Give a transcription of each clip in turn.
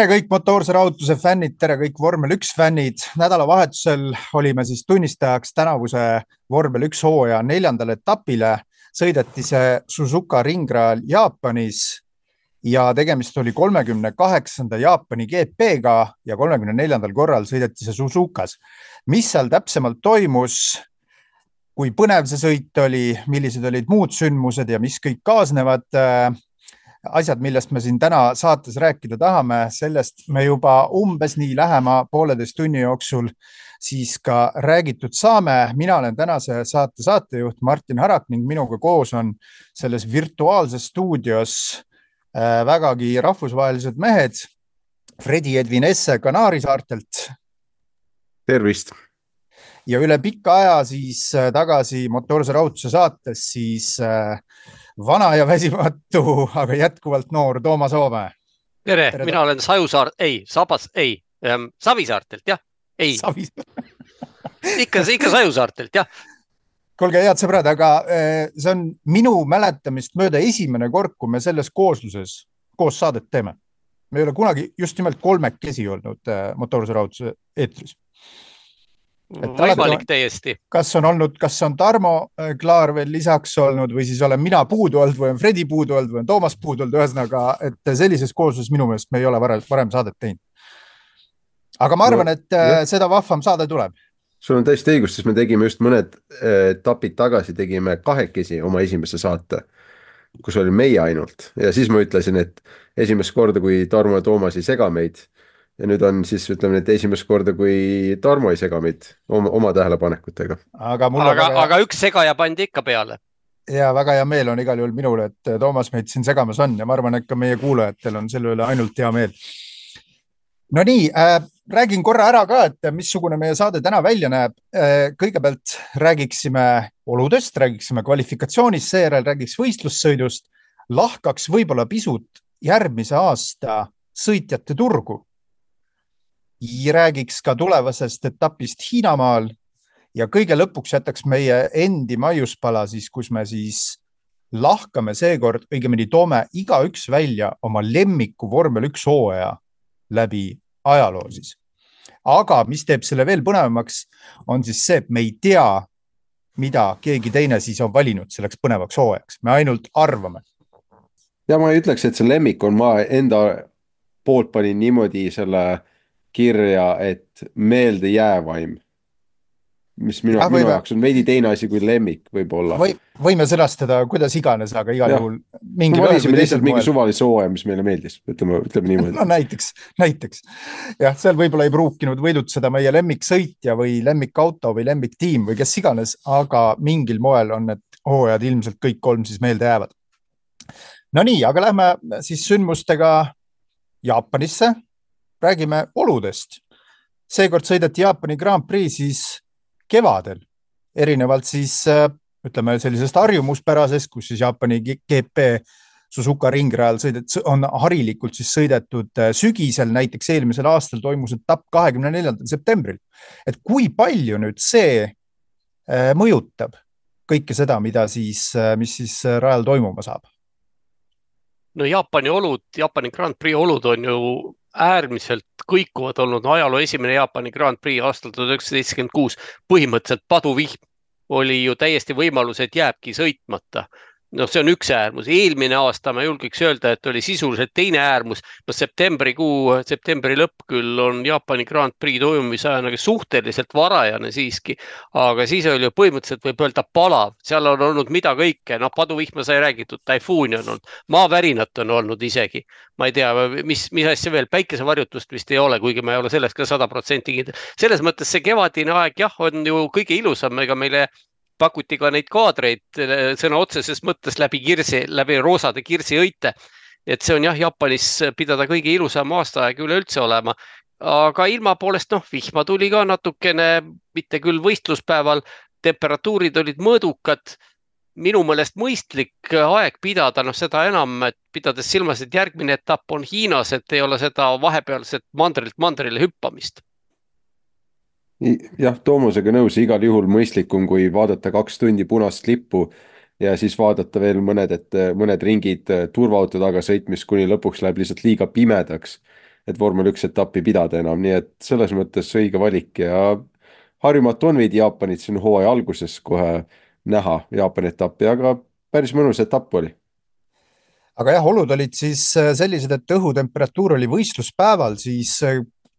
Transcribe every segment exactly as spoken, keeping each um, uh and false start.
Tere kõik motoorse rahutuse fännid, tere kõik vormel üks fännid. Nädalavahetusel olime siis tunnistajaks tänavuse vormel üks hooaja neljandale etapile. Sõideti see Suzuka ringrajal Jaapanis ja tegemist oli kolmekümne kaheksanda Jaapani G P-ga ja kolmekümne neljandal korral sõideti see Suzukas. Mis seal täpsemalt toimus, kui põnev see sõit oli, millised olid muud sündmused ja mis kõik kaasnevad asjad, millest me siin täna saates rääkida tahame, sellest me juba umbes nii lähema pooleteist tunni jooksul siis ka räägitud saame. Mina olen tänase saate saatejuht Martin Harak ning minuga koos on selles virtuaalses stuudios vägagi rahvusvahelised mehed. Fredi Edvin Esse Kanaari saartelt. Tervist! Ja üle pika aja siis tagasi motoorse rahutuse saates siis vana ja väsimatu, aga jätkuvalt noor Toomas Oome. Tere, Tere mina olen Sajusaart, ei, Sabas, ei, ähm, Savisaartelt, jah, ei. ikka, ikka Sajusaartelt, jah. Kuulge, head sõbrad, aga see on minu mäletamist mööda esimene kord, kui me selles koosluses koos saadet teeme. Me ei ole kunagi just nimelt kolmekesi olnud motoorse rahutuse eetris. Võimalik täiesti. Kas on olnud, kas on Tarmo Klaar veel lisaks olnud või siis olen mina puudu olnud või on Fredi puudu olnud või on Toomas puudu olnud, ühesõnaga, et sellises koosluses minu meelest me ei ole varem saadet teinud. Aga ma arvan, et no, seda vahvam saade tuleb. Sul on täiesti õigus, sest me tegime just mõned etapid tagasi, tegime kahekesi oma esimese saate, kus oli meie ainult. Ja siis ma ütlesin, et esimest korda, kui Tarmo ja Toomas ei sega meid, ja nüüd on siis, ütleme, et esimest korda, kui Tarmo ei sega meid oma, oma tähelepanekutega. Aga, aga, väga... aga üks segaja pandi ikka peale. Ja väga hea meel on igal juhul minule, et Toomas meid siin segamas on ja ma arvan, et ka meie kuulajatel on selle üle ainult hea meel. No nii, äh, räägin korra ära ka, et missugune meie saade täna välja näeb. Äh, kõigepealt räägiksime oludest, räägiksime kvalifikatsioonist, seejärel räägiks võistlussõidust, lahkaks võib-olla pisut järgmise aasta sõitjate turgu. Räägiks ka tulevasest etapist Hiinamaal ja kõige lõpuks jätaks meie endi maiuspala, siis, kus me siis lahkame seekord, õigemini toome iga üks välja oma lemmiku vormel üks hooaja läbi ajaloo siis. Aga mis teeb selle veel põnevamaks, on siis see, et me ei tea, mida keegi teine siis on valinud selleks põnevaks hooajaks. Me ainult arvame. Ja ma ei ütleks, et see lemmik on, ma enda poolt panin niimoodi selle kirja, et meelde jäävaim, mis minu, ja, minu jaoks on veidi teine asi kui lemmik võib-olla. Või, võime sõnastada, kuidas iganes, aga igal juhul mingi no, välisime lihtsalt mingi suvalise hooaja, mis meile meeldis, ütleme, ütleme niimoodi. No näiteks, näiteks. Jah, seal võib-olla ei pruukinud võidutseda meie lemmiksõitja või lemmikauto või lemmiktiim või kes iganes, aga mingil moel on need hooajad ilmselt kõik kolm siis meelde jäävad. No nii, aga lähme siis sündmustega Jaapanisse. Räägime oludest. Seekord sõideti Jaapani Grand Prix siis kevadel, erinevalt siis, ütleme, sellisest harjumuspärasest, kus siis Jaapani G P Suzuka ringrajal sõidet, on harilikult siis sõidetud sügisel, näiteks eelmisel aastal toimus etapp kahekümne neljandal septembril. Et kui palju nüüd see mõjutab kõike seda, mida siis, mis siis rajal toimuma saab? No Jaapani olud, Jaapani Grand Prix olud on ju äärmiselt kõikuvad olnud. No, ajaloo esimene Jaapani Grand Prix aastal tuhat üheksasada seitsekümmend kuus põhimõtteliselt paduvihm oli ju täiesti võimalus, et jääbki sõitmata. No see on üks äärmus. Eelmine aasta ma julgeks öelda, et oli sisuliselt teine äärmus. No septembrikuu, septembri lõpp küll on Jaapani Grand Prix toimumisajana suhteliselt varajane siiski, aga siis oli ju põhimõtteliselt võib öelda palav. Seal on olnud mida kõike. No paduvihma sai räägitud, taifuuni on olnud, maavärinat on olnud isegi. Ma ei tea, mis, mis asja veel, päikesevarjutust vist ei ole, kuigi ma ei ole sellest ka sada protsenti kindel. Selles mõttes see kevadine aeg jah, on ju kõige ilusam, ega meile pakuti ka neid kaadreid sõna otseses mõttes läbi kirsi, läbi roosade kirsi õite. Et see on jah, Jaapanis pidada kõige ilusam aastaaeg üle üldse olema. Aga ilma poolest, noh, vihma tuli ka natukene, mitte küll võistluspäeval, temperatuurid olid mõõdukad. Minu mõelest mõistlik aeg pidada, noh seda enam, et pidades silmas, et järgmine etapp on Hiinas, et ei ole seda vahepealset mandrilt mandrile hüppamist. Jah, Toomusega nõus, igal juhul mõistlikum, kui vaadata kaks tundi punast lippu ja siis vaadata veel mõned, et mõned ringid turvaauto taga sõitmist, kuni lõpuks läheb lihtsalt liiga pimedaks. et vormel üks etappi pidada enam, nii et selles mõttes õige valik ja Harjumaalt on veidi Jaapanit siin hooaja alguses kohe näha Jaapani etappi, aga päris mõnus etapp oli. aga jah, olud olid siis sellised, et õhutemperatuur oli võistluspäeval siis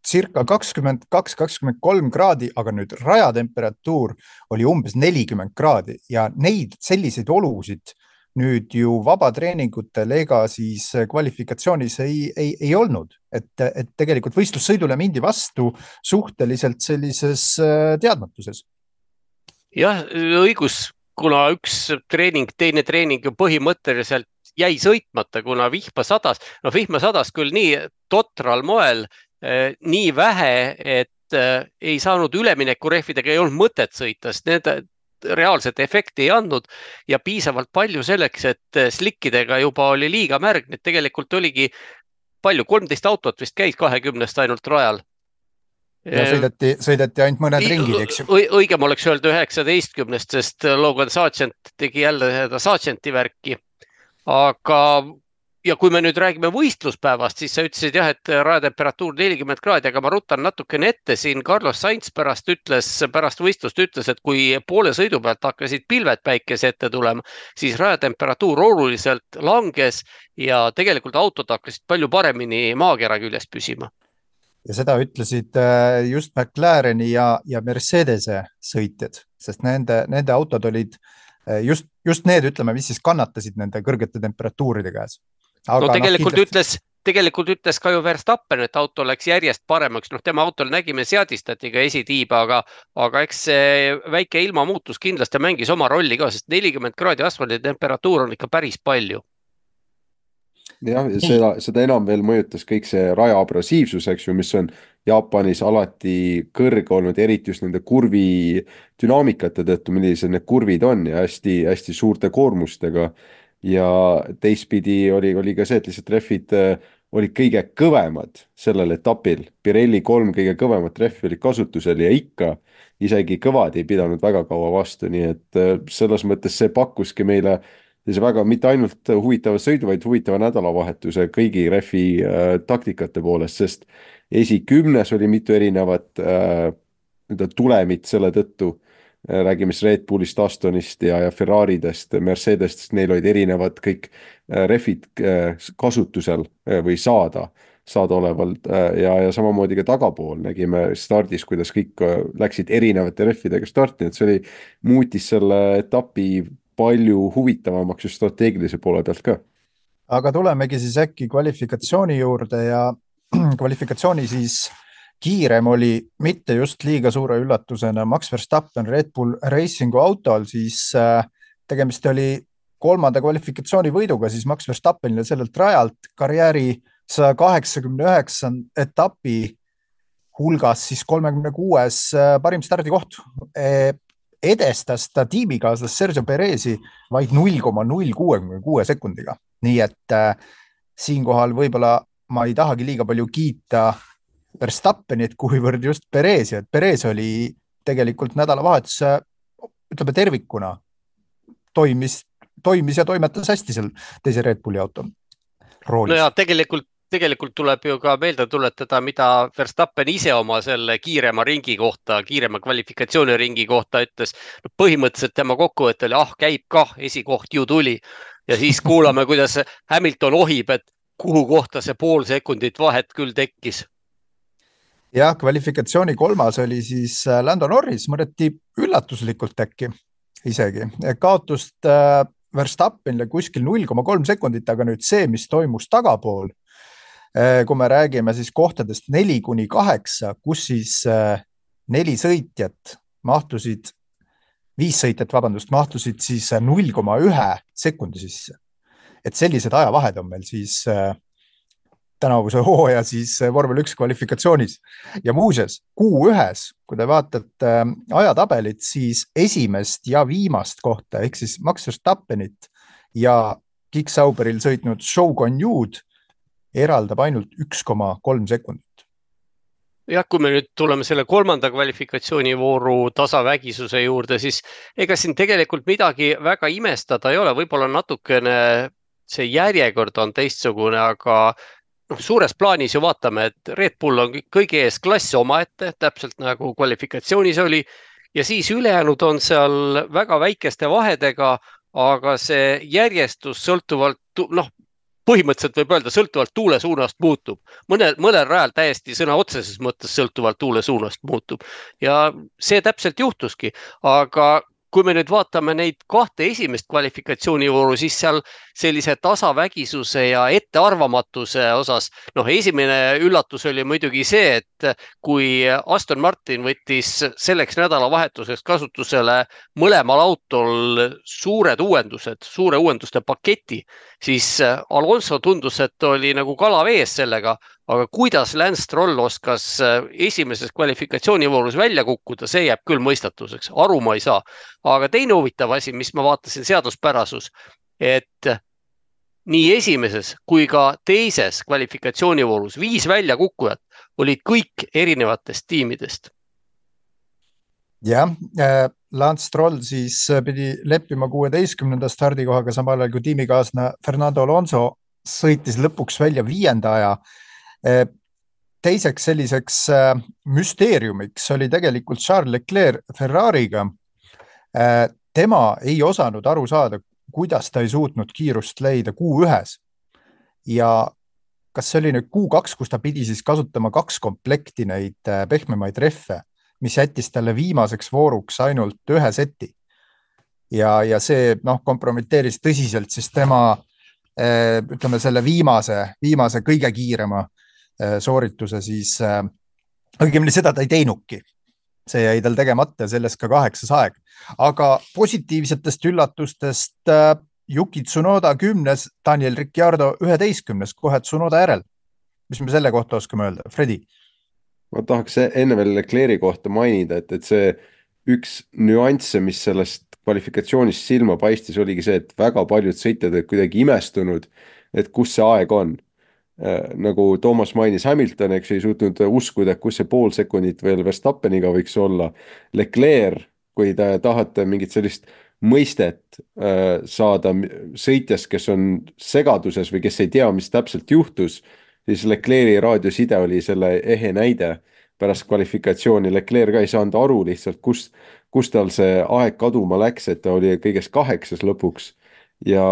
circa kakskümmend kaks, kakskümmend kolm kraadi, aga nüüd rajatemperatuur oli umbes nelikümmend kraadi ja neid selliseid olusid nüüd ju vabatreeningutel ega siis kvalifikatsioonis ei, ei, ei olnud, et, et tegelikult võistlussõidule mindi vastu suhteliselt sellises teadmatuses. Jah, õigus, kuna üks treening, teine treening ju põhimõtteliselt jäi sõitmata, kuna vihma sadas. No vihma sadas küll nii totral moel, nii vähe, et ei saanud üleminekurehvidega, ei olnud mõtet sõita, sest need reaalset efekti ei andnud ja piisavalt palju selleks, et slikkidega juba oli liiga märg. Need tegelikult oligi palju, kolmteist autot vist käis kahekümnest ainult rajal. Ja sõideti, sõideti ainult mõned ringid, eks ju. Õigem oleks öelda üheksateistkümnest, sest Logan Sargent tegi jälle seda Sargenti värki. Aga ja kui me nüüd räägime võistluspäevast, siis sa ütlesid jah, et rajatemperatuur nelikümmend kraadi, aga ma rutan natukene ette siin. Carlos Sainz pärast ütles, pärast võistlust ütles, et kui poole sõidu pealt hakkasid pilved päikese ette tulema, siis rajatemperatuur oluliselt langes ja tegelikult autod hakkasid palju paremini maakera küljes püsima. Ja seda ütlesid just McLareni ja, ja Mercedese sõitjad, sest nende, nende autod olid just, just need, ütleme, mis siis kannatasid nende kõrgete temperatuuride käes. Aga no tegelikult, no, ütles, tegelikult ütles ka ju Verstappen, et auto läks järjest paremaks. Noh, tema autol nägime seadistati ka esitiiba, aga, aga eks see väike ilmamuutus kindlasti mängis oma rolli ka, sest nelikümmend kraadi asfaldi temperatuur on ikka päris palju. Jah, seda, seda enam veel mõjutas kõik see raja abrasiivsus, eks ju, mis on Jaapanis alati kõrge olnud, eriti just nende kurvi dünaamikate tõttu, millised need kurvid on ja hästi, hästi suurte koormustega. Ja teistpidi oli, oli ka see, et lihtsalt rehvid olid kõige kõvemad sellel etapil. Pirelli kolm kõige kõvemat rehvi oli kasutusel ja ikka isegi kõvad ei pidanud väga kaua vastu, nii et selles mõttes see pakkuski meile see väga mitte ainult huvitava sõidu, vaid huvitava nädalavahetuse kõigi rehvi äh, taktikate poolest, sest esikümnes oli mitu erinevat äh, tulemit selle tõttu. Räägime Red Bullist, Astonist ja, ja Ferraridest, Mercedest, neil olid erinevad kõik rehvid kasutusel või saada, saada olevalt ja, ja samamoodi ka tagapool nägime stardis, kuidas kõik läksid erinevate rehvidega starti, et see oli, muutis selle etapi palju huvitavamaks just strateegilise poole pealt ka. Aga tulemegi siis äkki kvalifikatsiooni juurde ja kvalifikatsiooni siis kiirem oli mitte just liiga suure üllatusena Max Verstappen Red Bull Racingu autol, siis tegemist oli kolmanda kvalifikatsiooni võiduga siis Max Verstappenile sellelt rajalt karjääri saja kaheksakümne üheksa etapi hulgas siis kolmekümne kuues parim stardikoht. Edestas ta tiimikaaslas Sergio Perezi vaid null koma null kuuskümmend kuus sekundiga. Nii et äh, siinkohal võib-olla ma ei tahagi liiga palju kiita Verstappenit, kuivõrd just Perezi, et Perez oli tegelikult nädalavahetuse, ütleme tervikuna, toimis, toimis ja toimetas hästi seal teise Red Bulli auto roolis. No ja tegelikult, tegelikult tuleb ju ka meelde tuletada, mida Verstappen ise oma selle kiirema ringi kohta, kiirema kvalifikatsiooni ringi kohta ütles. No põhimõtteliselt tema kokkuvõte oli, ah, käib kah, esikoht ju tuli. Ja siis kuulame, kuidas Hamilton ohib, et kuhu kohta see pool sekundit vahet küll tekkis. Ja kvalifikatsiooni kolmas oli siis Lando Norris, mõneti üllatuslikult äkki isegi. Kaotust Verstappenile kuskil null koma kolm sekundit, aga nüüd see, mis toimus tagapool, kui me räägime siis kohtadest neli kuni kaheksa, kus siis neli sõitjat mahtusid, viis sõitjat, vabandust, mahtusid siis null koma üks sekundi sisse. Et sellised ajavahed on meil siis tänavuse hooaja siis vormel üks kvalifikatsioonis. Ja muuseas, kuu ühes, kui te vaatate ajatabelit, siis esimest ja viimast kohta, ehk siis Max Verstappenit ja Kick Sauberil sõitnud Zhou Guanyu eraldab ainult üks koma kolm sekundit. jah, kui me nüüd tuleme selle kolmanda kvalifikatsioonivooru tasavägisuse juurde, siis ega siin tegelikult midagi väga imestada ei ole. Võib-olla natukene see järjekord on teistsugune, aga noh, suures plaanis ju vaatame, et Red Bull on kõigi ees klass omaette, täpselt nagu kvalifikatsioonis oli. Ja siis ülejäänud on seal väga väikeste vahedega, aga see järjestus sõltuvalt, noh, põhimõtteliselt võib öelda, sõltuvalt tuule suunast muutub. Mõnel, mõnel rajal täiesti sõna otseses mõttes sõltuvalt tuule suunast muutub. Ja see täpselt juhtuski, aga kui me nüüd vaatame neid kahte esimest kvalifikatsioonivooru, siis seal sellise tasavägisuse ja ettearvamatuse osas, noh, esimene üllatus oli muidugi see, et kui Aston Martin võttis selleks nädalavahetuseks kasutusele mõlemal autol suured uuendused, suure uuenduste paketi, siis Alonso tundus, et oli nagu kala vees sellega, aga kuidas Lance Stroll oskas esimeses kvalifikatsioonivoorus välja kukkuda, see jääb küll mõistatuseks, aru ma ei saa. Aga teine huvitav asi, mis ma vaatasin, seaduspärasus, et nii esimeses kui ka teises kvalifikatsioonivoorus viis välja kukkujat olid kõik erinevatest tiimidest. Jah, Lance Stroll siis pidi leppima kuueteistkümnenda stardikohaga, samal ajal kui tiimikaasna Fernando Alonso sõitis lõpuks välja viienda aja. Teiseks selliseks müsteeriumiks oli tegelikult Charles Leclerc Ferrariga. Tema ei osanud aru saada, kuidas ta ei suutnud kiirust leida kuu ühes. Ja kas see oli nüüd kuu kaks, kus ta pidi siis kasutama kaks komplekti neid pehmemaid reffe, mis jättis talle viimaseks vooruks ainult ühe seti. Ja, ja see noh, kompromiteeris tõsiselt siis tema ütleme selle viimase, viimase kõige kiirema soorituse siis, õigemini seda ta ei teinuki. See jäi tal tegemata ja sellest ka kaheksas aeg. Aga positiivsetest üllatustest Yuki Tsunoda kümnes, Daniel Ricciardo üheteistkümnes, kohe Tsunoda järel. Mis me selle kohta oskame öelda? Fredi? Ma tahaks enne veel Leclerc'i kohta mainida, et, et see üks nüansse, mis sellest kvalifikatsioonist silma paistis, oligi see, et väga paljud sõitjad olid kuidagi imestunud, et kus see aeg on. Nagu Toomas mainis, Hamilton, eks ei suutnud uskuda, kus see pool sekundit veel Verstappeniga võiks olla. Leclerc, kui te tahate mingit sellist mõistet saada sõitjast, kes on segaduses või kes ei tea, mis täpselt juhtus, siis Leclerc'i raadioside oli selle ehe näide pärast kvalifikatsiooni. Leclerc ka ei saanud aru lihtsalt, kus, kus tal see aeg kaduma läks, et ta oli kõigest kaheksas lõpuks. Ja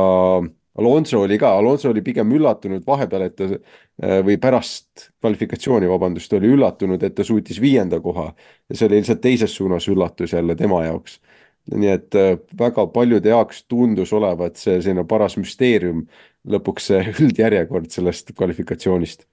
Alonso oli ka, Alonso oli pigem üllatunud vahepeal, et ta või pärast kvalifikatsiooni, vabandust, oli üllatunud, et ta suutis viienda koha ja see oli lihtsalt teises suunas üllatus jälle tema jaoks. Nii et väga paljude jaoks tundus olevat see selline paras müsteerium lõpuks see üldjärjekord sellest kvalifikatsioonist.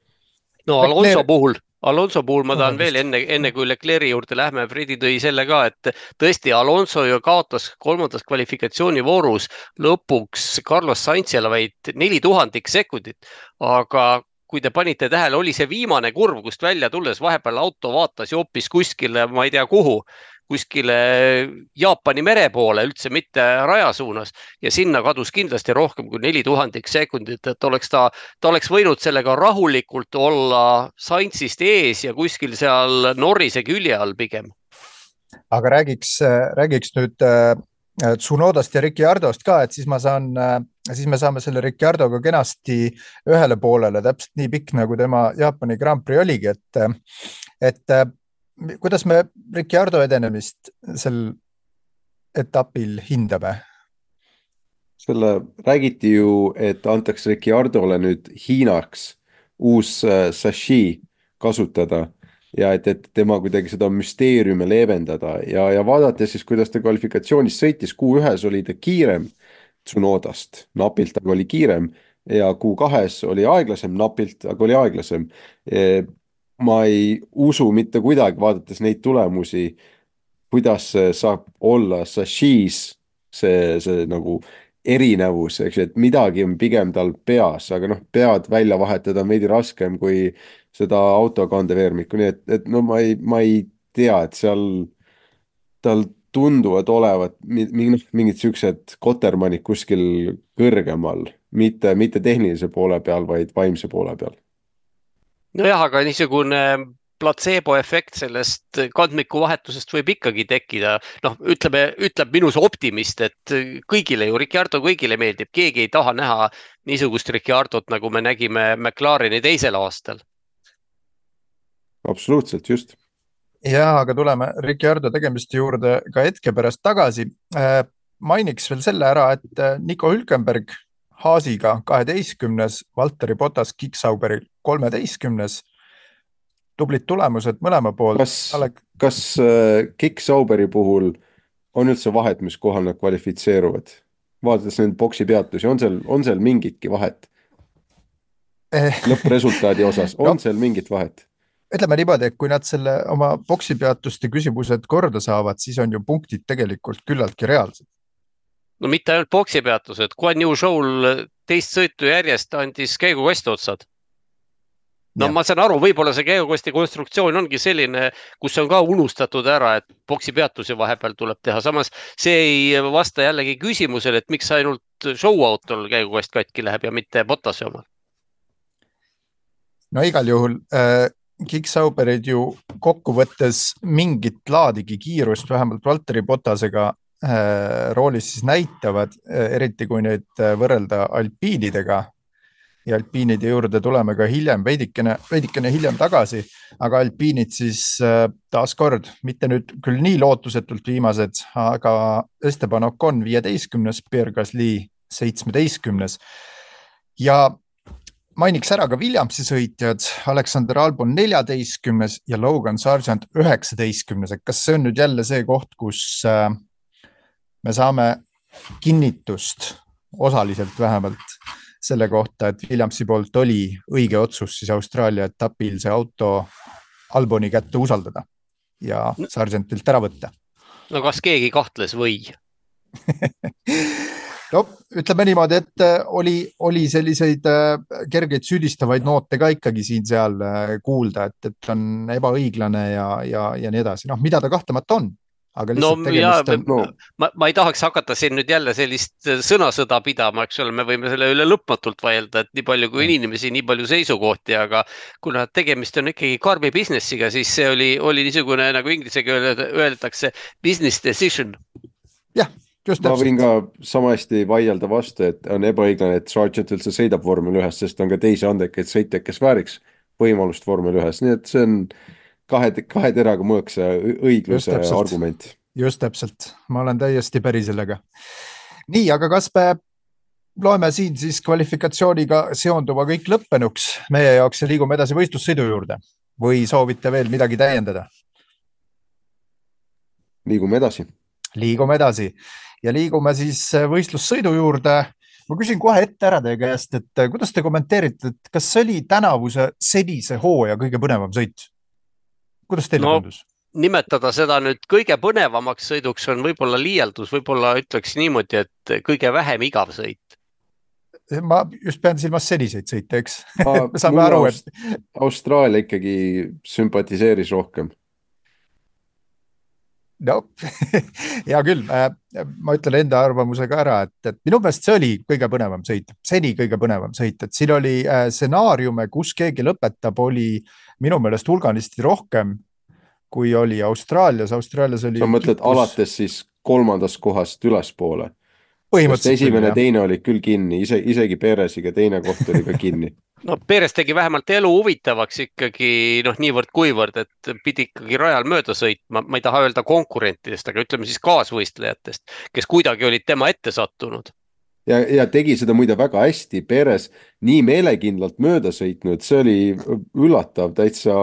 No Alonso puhul, Alonso puhul ma tahan veel enne, enne kui Leclerc'i juurde lähme, Fredi tõi selle ka, et tõesti Alonso ju kaotas kolmandas kvalifikatsioonivoorus lõpuks Carlos Sainzile vaid neli tuhandik sekundit, aga kui te panite tähele, oli see viimane kurv, kust välja tulles vahepeal auto vaatas ja hoopis kuskile, ma ei tea kuhu, kuskile Jaapani mere poole, üldse mitte raja suunas ja sinna kadus kindlasti rohkem kui neli tuhandik sekundit, et oleks ta, ta oleks võinud sellega rahulikult olla Sainzist ees ja kuskil seal Norrise külje all pigem. Aga räägiks, räägiks nüüd Tsunodast ja Ricciardost ka, et siis ma saan, siis me saame selle Ricciardoga kenasti ühele poolele, täpselt nii pikk nagu tema Jaapani Grand Prix oligi, et, et kuidas me Ricciardo edenemist sel etapil hindame? Selle räägiti ju, et antakse Ricciardole nüüd Hiinaks uus sashi kasutada ja et, et tema kuidagi seda müsteeriume leevendada ja, ja vaadates siis, kuidas ta kvalifikatsioonis sõitis, kuu ühes oli ta kiirem Tsunodast, napilt, aga oli kiirem ja kuu kahes oli aeglasem, napilt, aga oli aeglasem. Ma ei usu mitte kuidagi, vaadates neid tulemusi, kuidas saab olla sashis see, see nagu erinevus, eks, et midagi on pigem tal peas, aga noh, pead välja vahetada on veidi raskem kui seda autokandeveermikku, nii et, et no ma ei, ma ei tea, et seal tal tunduvad olevat mingid, mingid siuksed kotermanid kuskil kõrgemal, mitte, mitte tehnilise poole peal, vaid vaimse poole peal. Nojah, aga niisugune placebo efekt sellest kandmiku vahetusest võib ikkagi tekkida. Noh, ütleme, ütleb minus optimist, et kõigile ju, Ricciardo kõigile meeldib, keegi ei taha näha niisugust Ricciardot, nagu me nägime McLareni teisel aastal. Absoluutselt, just. Ja, aga tuleme Ricciardo tegemiste juurde ka hetke pärast tagasi. Mainiks veel selle ära, et Nico Hülkenberg Haasiga kaheteistkümnes, Valtteri Bottas Kick-Sauberil kolmeteistkümnes. Tublit tulemused mõlema poolt. Kas, Alek... kas äh, Kick-Sauberi puhul on üldse vahet, mis kohal nad kvalifitseeruvad? Vaadates nende boksi peatusi, on seal, on seal mingitki vahet? Lõppresultaadi osas, on no. seal mingit vahet? Ütleme niimoodi, et kui nad selle oma boksi peatuste küsimused korda saavad, siis on ju punktid tegelikult küllaltki reaalsed. No mitte ainult boksi peatused, Guan Yu Zhou'l teist sõitu järjest andis käigukosti otsad. No ja. Ma saan aru, võib-olla see käigukosti konstruktsioon ongi selline, kus on ka unustatud ära, et boksi peatusi vahepeal tuleb teha. Samas see ei vasta jällegi küsimusele, et miks ainult show-autol käigukost katki läheb ja mitte Bottasi oma. No igal juhul äh, Kick-Sauberid ju kokkuvõttes mingit laadigi kiirust, vähemalt Valtteri Bottasega äh, roolis siis näitavad, äh, eriti kui nüüd võrrelda alpiinidega. Ja alpiinide juurde tuleme ka hiljem, veidikene, veidikene hiljem tagasi, aga alpiinid siis taas kord, mitte nüüd küll nii lootusetult viimased, aga Esteban Ocon viieteistkümnes, Pierre Gasly seitsmeteistkümnes. Ja mainiks ära ka Williamsi sõitjad, Alexander Albon neljateistkümnes ja Logan Sargent üheksateistkümnes. Kas see on nüüd jälle see koht, kus me saame kinnitust osaliselt vähemalt selle kohta, et Williamsi poolt oli õige otsus siis Austraalia etapil see auto Alboni kätte usaldada ja Sargentilt ära võtta. No kas keegi kahtles või? No, ütleme niimoodi, et oli, oli selliseid kergeid süüdistavaid noote ka ikkagi siin seal kuulda, et, et on ebaõiglane ja, ja, ja nii edasi. Noh, mida ta kahtamata on? Aga no, ja, on... no. ma, ma ei tahaks hakata siin nüüd jälle sellist sõnasõda pidama, eks ole, me võime selle üle lõpmatult vaielda, et nii palju kui inimesi, nii palju seisukohti, aga kuna tegemist on ikkagi karbi businessiga, siis see oli, oli niisugune, nagu inglisega öeldakse, business decision. Jah, just täpselt. Ma võin ka sama hästi vaielda vastu, et on ebaõiglane, et Sargent üldse sõidab vormel ühes, sest on ka teisi andekaid sõitjaid, kes vääriks võimalust vormel ühes, nii et see on Kahe, kahe teraga mõõks õigluse just argument. Just täpselt. Ma olen täiesti päri sellega. Nii, aga kas me loeme siin siis kvalifikatsiooniga seonduva kõik lõppenuks meie jaoks ja liigume edasi võistlussõidu juurde? Või soovite veel midagi täiendada? Liigume edasi. Liigume edasi. Ja liigume siis võistlussõidu juurde. Ma küsin kohe ette ära teie käest, et kuidas te kommenteerite, et kas see oli tänavuse senise hooaja kõige põnevam sõit? Kuidas teile no, tundus? Nimetada seda nüüd kõige põnevamaks sõiduks on võib-olla liialdus, võib-olla ütleks niimoodi, et kõige vähem igav sõit. Ma just pean silmas seniseid sõite, eks? Me saame aru, et... Austraalia ikkagi sümpatiseeris rohkem. No, hea küll. Ma ütlen enda arvamusega ära, et, et minu meelest see oli kõige põnevam sõit. Seni kõige põnevam sõit, et siin oli stsenaariume, kus keegi lõpetab, oli minu meelest hulganisti rohkem, kui oli Austraalias. Austraalias oli sa mõtled kus... alates siis kolmandast kohast ülespoole? Põhimõtteliselt esimene, küll, teine oli küll kinni, ise, isegi Peresiga teine koht oli ka kinni. No Peres tegi vähemalt elu huvitavaks ikkagi noh, niivõrd kuivõrd, et pidi ikkagi rajal mööda sõitma. Ma ei taha öelda konkurentidest, aga ütleme siis kaasvõistlejatest, kes kuidagi olid tema ette sattunud. Ja, ja tegi seda muide väga hästi, Peres nii meelekindlalt mööda sõitnud, see oli üllatav täitsa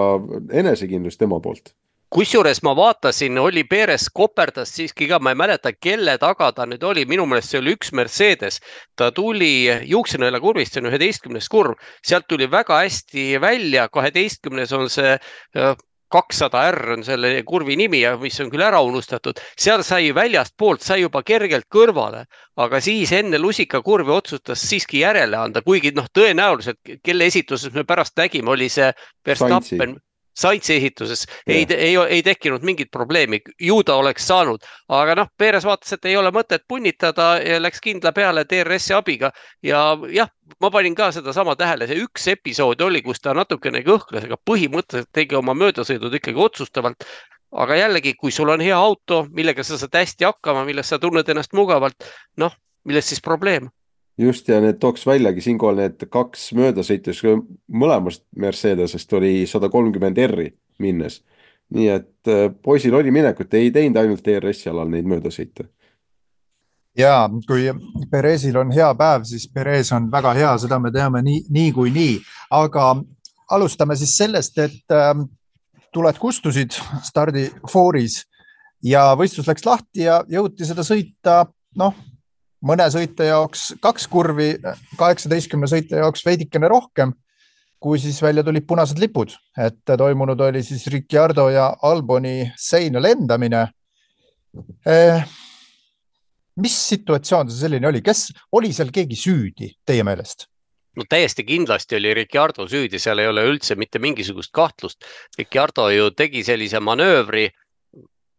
enesekindlus tema poolt. Kusjuures ma vaatasin, oli Peres koperdas siiski ka, ma ei mäleta, kelle taga ta nüüd oli, minu meelest see oli üks Mercedes. Ta tuli Juuksenõela kurvist, see on üheteistkümnes kurv, sealt tuli väga hästi välja, kaheteistkümnes on see kakssada R on selle kurvi nimi ja mis on küll ära unustatud. Seal sai väljast poolt, sai juba kergelt kõrvale, aga siis enne lusika kurvi otsustas siiski järele anda, kuigi noh, tõenäoliselt, kelle esituses me pärast nägime, oli see Verstappen. Saitsi ehituses ei, ei, ei tekkinud mingit probleemi, ju ta oleks saanud, aga noh, Perez vaatas, et ei ole mõtet punnitada ja läks kindla peale D R S-i abiga ja jah, ma panin ka seda sama tähele, see üks episood oli, kus ta natukene kõhkles, aga põhimõtteliselt tegi oma möödasõidud ikkagi otsustavalt, aga jällegi, kui sul on hea auto, millega sa saad hästi hakkama, milles sa tunned ennast mugavalt, noh, milles siis probleem? Just, ja need tooks väljagi siinkohal need kaks möödasõitus mõlemast Mercedesest oli sada kolmkümmend R-i minnes. Nii et poisil oli minekut, ei teinud ainult D R S-i alal neid möödasõite. Ja kui Perezil on hea päev, siis Perez on väga hea, seda me teame nii, nii kui nii. Aga alustame siis sellest, et äh, tuled kustusid stardi fooris ja võistlus läks lahti ja jõuti seda sõita, noh, mõne sõite jaoks kaks kurvi, kaheksateistkümne sõite jaoks veidikene rohkem, kui siis välja tulid punased lipud, et toimunud oli siis Ricciardo ja Alboni seina lendamine. Eh, mis situatsioon see selline oli? Kes oli seal keegi süüdi teie meelest? No täiesti kindlasti oli Ricciardo süüdi, seal ei ole üldse mitte mingisugust kahtlust. Ricciardo ju tegi sellise manöövri,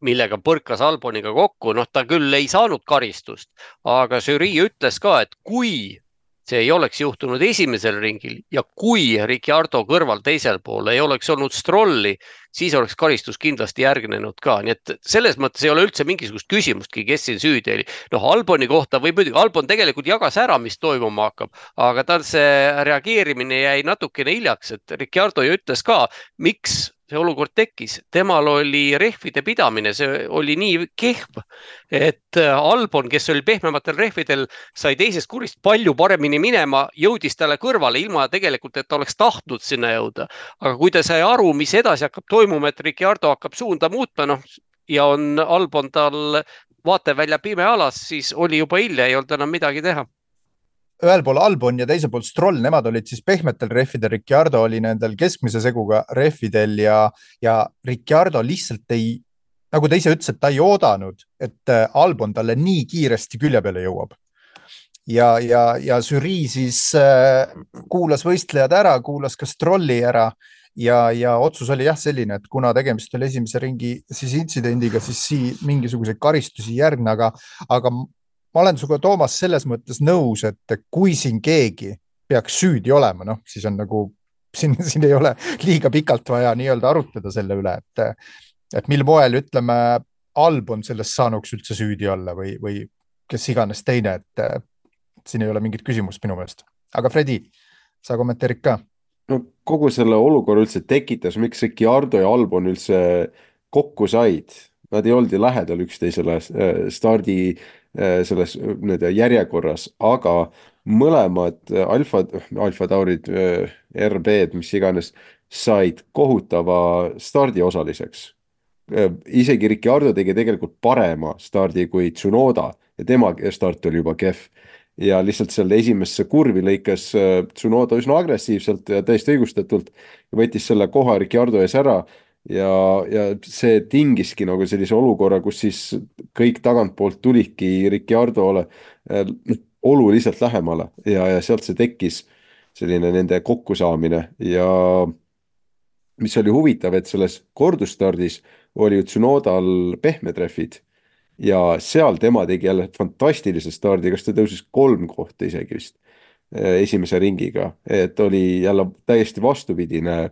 millega põrkas Alboniga kokku, noh ta küll ei saanud karistust, aga žürii ütles ka, et kui see ei oleks juhtunud esimesel ringil ja kui Ricciardo kõrval teisel pool ei oleks olnud Strolli, siis oleks karistus kindlasti järgnenud ka, nii et selles mõttes ei ole üldse mingisugust küsimustki, kes siin süüdi oli. Noh, Alboni kohta või muidugi, Albon tegelikult jagas ära, mis toimuma hakkab, aga tal see reageerimine jäi natukene hiljaks, et Ricciardo ju ütles ka, miks see olukord tekkis. Temal oli rehvide pidamine, see oli nii kehv, et Albon, kes oli pehmematel rehvidel, sai teisest kurist palju paremini minema, jõudis talle kõrvale ilma tegelikult, et ta oleks tahtnud sinna jõuda. Aga kui ta sai aru, mis edasi hakkab toimuma, et Ricciardo hakkab suunda muutma, noh, ja on Albon tal vaatevälja pime alas, siis oli juba hilja, ei olnud enam midagi teha. Ühel pool Albon ja teisel pool Stroll, nemad olid siis pehmetel rehvidel, Ricciardo oli nendel keskmise seguga rehvidel ja, ja Ricciardo lihtsalt ei, nagu ta ise ütles, et ta ei oodanud, et Albon talle nii kiiresti külje peale jõuab. Ja, ja, ja žürii siis äh, kuulas võistlejad ära, kuulas ka Strolli ära ja, ja otsus oli jah selline, et kuna tegemist oli esimese ringi siis intsidendiga, siis siin mingisuguseid karistusi järgne, aga, aga ma olen suga, Toomas, selles mõttes nõus, et kui siin keegi peaks süüdi olema, noh, siis on nagu, siin, siin ei ole liiga pikalt vaja nii-öelda arutleda selle üle, et, et mil moel, ütleme, Albon sellest saanuks üldse süüdi olla või, või kes iganes teine, et siin ei ole mingit küsimust minu meelest. Aga Fredi, sa kommenteerid ka? No kogu selle olukorra üldse tekitas, miks Ricciardo ja Albon üldse kokku said. Nad ei olnud lähedal üksteisele stardi selles järjekorras, aga mõlemad alfa, alfa taurid, R B-d, mis iganes, said kohutava stardi osaliseks. Isegi Ricciardo tegi tegelikult parema stardi kui Tsunoda ja tema start oli juba kehv. Ja lihtsalt selle esimesse kurvi lõikas Tsunoda üsna agressiivselt ja täiesti õigustatult ja võttis selle koha Ricciardo ees ära. Ja, ja see tingiski nagu sellise olukorra, kus siis kõik tagantpoolt tulidki Ricciardole äh, oluliselt lähemale ja, ja sealt see tekkis selline nende kokkusaamine ja mis oli huvitav, et selles kordustardis oli Tsunodal pehmetreffid ja seal tema tegi jälle fantastilise stardi, kas ta tõusis kolm kohta isegi vist esimese ringiga, et oli jälle täiesti vastupidine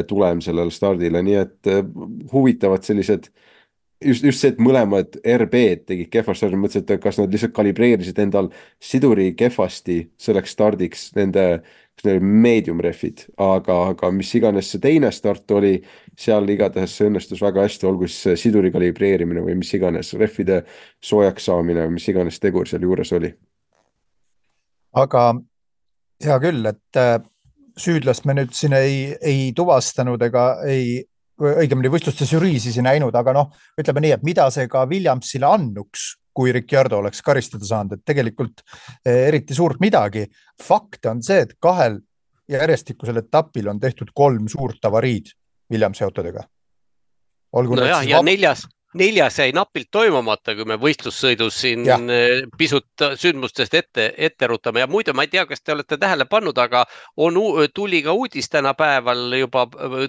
tulem sellele stardile, nii et huvitavad sellised, just, just see, et mõlemad R B-d tegid kehva stardi, mõtlesin, et kas nad lihtsalt kalibreerisid endal siduri kehvasti selleks stardiks nende medium refid, aga, aga mis iganes see teine start oli, seal igatahes see õnnestus väga hästi, olgu siis siduri kalibreerimine või mis iganes refide soojaks saamine, mis iganes tegur seal juures oli. Aga hea küll, et süüdlast me nüüd siin ei, ei tuvastanud ega ei, õigemini võistluste žürii siis ei näinud, aga noh, ütleme nii, et mida see ka Williamsile annuks, kui Ricciardo oleks karistada saanud, et tegelikult eriti suurt midagi. Fakt on see, et kahel järjestikusel etapil on tehtud kolm suurt avariid Williamsi autodega. Olgu no jah, ja vab... neljas, neljas jäi napilt toimumata, kui me võistlussõidus siin Jah. pisut sündmustest ette, ette rutame ja muidu ma ei tea, kas te olete tähele pannud, aga on, tuli ka uudis tänapäeval juba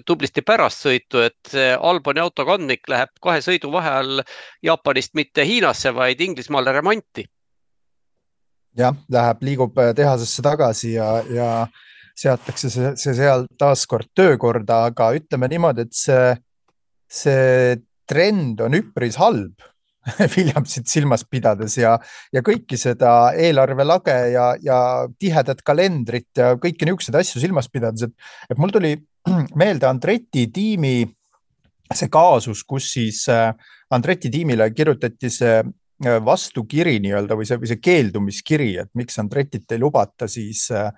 tublisti pärast sõitu, et Alboni autokandmik läheb kahe sõidu vaheajal Jaapanist mitte Hiinasse, vaid Inglismaale remonti. Jah, läheb, liigub tehasesse tagasi ja, ja seatakse see, see seal taaskord töökorda, aga ütleme niimoodi, et see, see trend on üpris halb Williamsit silmas pidades ja, ja kõiki seda eelarvelage ja, ja tihedat kalendrit ja kõiki niisuguseid asju silmas pidades, et, et mul tuli meelde Andretti tiimi see kaasus, kus siis Andretti tiimile kirjutati see vastukiri nii-öelda või see, või see keeldumiskiri, et miks Andrettit ei lubata, siis äh,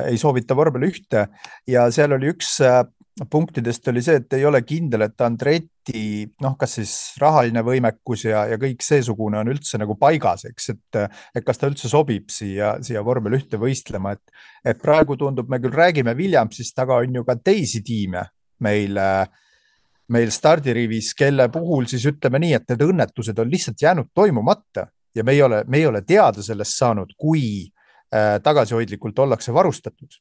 ei soovita vormel ühte ja seal oli üks äh, punktidest oli see, et ei ole kindel, et Andretti, noh, kas siis rahaline võimekus ja, ja kõik seesugune on üldse nagu paigas, eks, et, et kas ta üldse sobib siia, siia vormel ühte võistlema, et, et praegu tundub, me küll räägime Williamsist, aga on ju ka teisi tiime meil, meil stardirivis, kelle puhul siis ütleme nii, et need õnnetused on lihtsalt jäänud toimumata ja me ei ole, me ei ole teada sellest saanud, kui äh, tagasihoidlikult ollakse varustatud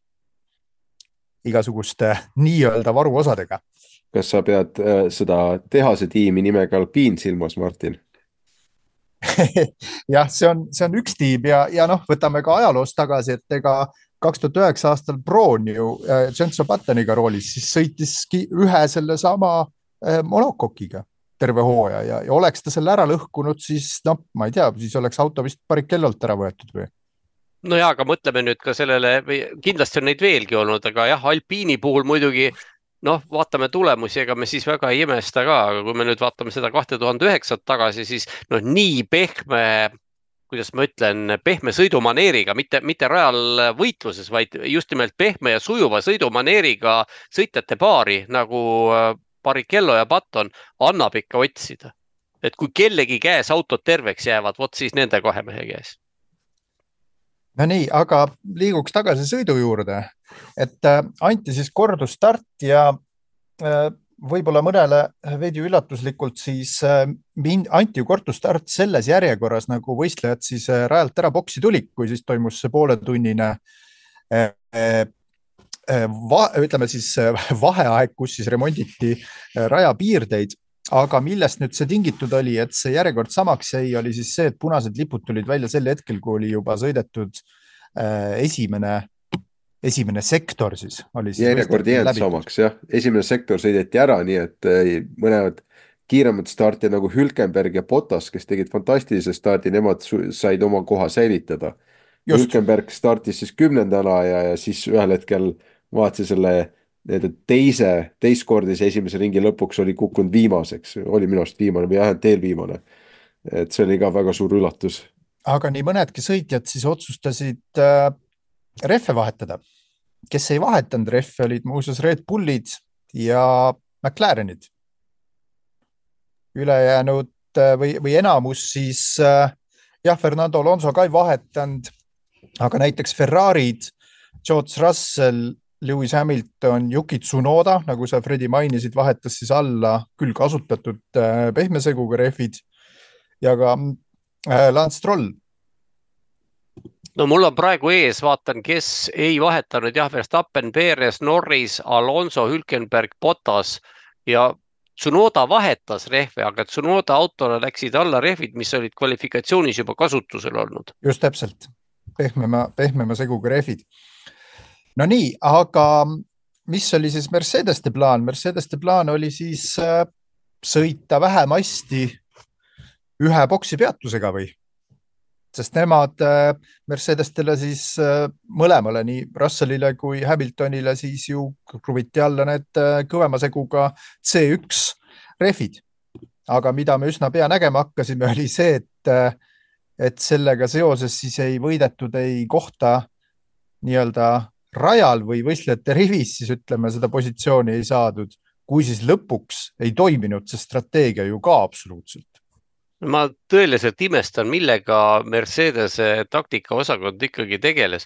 igasuguste nii-öelda varuosadega. Kas sa pead äh, seda tehase tiimi nimega Alpine silmas, Martin? jah, see on, see on üks tiim ja, ja noh, võtame ka ajaloos tagasi, et ega kaks tuhat üheksa aastal Brown ju äh, Jenson Buttoniga roolis, siis sõitiski ühe selle sama äh, monokokiga terve hooaja ja, ja oleks ta selle ära lõhkunud, siis noh, ma ei tea, siis oleks auto vist Barrichellolt ära võetud või? No jaa, aga mõtleme nüüd ka sellele, kindlasti on neid veelgi olnud, aga jah, Alpiini puhul muidugi, noh, vaatame tulemusi, ega me siis väga ei imesta ka, aga kui me nüüd vaatame seda kaks tuhat üheksa tagasi, siis noh, nii pehme, kuidas ma ütlen, pehme sõidumaneeriga, mitte, mitte rajal võitluses, vaid just nimelt pehme ja sujuva sõidumaneeriga sõitjate paari, nagu Barrichello ja Button, annab ikka otsida. Et kui kellegi käes autod terveks jäävad, vot siis nende kahe mehe käes. No nii, aga liiguks tagasi sõidu juurde, et äh, anti siis kordusstart ja äh, võib-olla mõnele veidi üllatuslikult siis äh, anti ju kordusstart selles järjekorras, nagu võistlejad siis äh, rajalt ära boksi tulik, kui siis toimus see pooletunnine äh, äh, va, ütleme siis äh, vaheaeg, kus siis remonditi äh, rajapiirdeid. Aga millest nüüd see tingitud oli, et see järjekord samaks jäi, oli siis see, et punased lipud tulid välja sel hetkel, kui oli juba sõidetud äh, esimene, esimene sektor siis. Oli siis järjekord jäänud samaks, jah. Esimene sektor sõideti ära, nii et äh, mõned kiiremad startid nagu Hülkenberg ja Bottas, kes tegid fantastilise stardi, nemad said oma koha säilitada. Just. Hülkenberg startis siis kümnendana ja, ja siis ühel hetkel vaatsi selle teise, teistkordise esimese ringi lõpuks oli kukkunud viimaseks, oli minu arust viimane või jah, teel viimane. Et see oli ka väga suur üllatus. Aga nii mõnedki sõitjad siis otsustasid äh, rehve vahetada. Kes ei vahetanud rehve, olid muuseas Red Bullid ja McLarenid. Ülejäänud äh, või, või enamus siis äh, jah, Fernando Alonso ka ei vahetanud, aga näiteks Ferrarid, George Russell, Lewis Hamilton, Yuki Tsunoda, nagu sa Fredi mainisid, vahetas siis alla küll kasutatud pehmeseguga rehvid ja ka Lance Stroll. No mul on praegu ees, vaatan, kes ei vahetanud, jah, Verstappen, Perez, Norris, Alonso, Hülkenberg, Bottas ja Tsunoda vahetas rehve, aga Tsunoda autole läksid alla rehvid, mis olid kvalifikatsioonis juba kasutusel olnud. Just täpselt, pehmema, pehmema seguga rehvid. No nii, aga mis oli siis Mercedeste plaan? Mercedeste plaan oli siis äh, sõita vähemasti ühe boksi peatusega või? Sest nemad äh, Mercedestele siis äh, mõlemale, nii Russellile kui Hamiltonile siis ju kruviti alla need äh, kõvema seguga C üks rehvid. Aga mida me üsna pea nägema hakkasime, oli see, et, äh, et sellega seoses siis ei võidetud ei kohta nii-öelda rajal või võistlejate rivis, siis ütleme, seda positsiooni ei saadud, kui siis lõpuks ei toiminud see strateegia ju ka absoluutselt. Ma tõeliselt imestan, millega Mercedese taktika osakond ikkagi tegeles.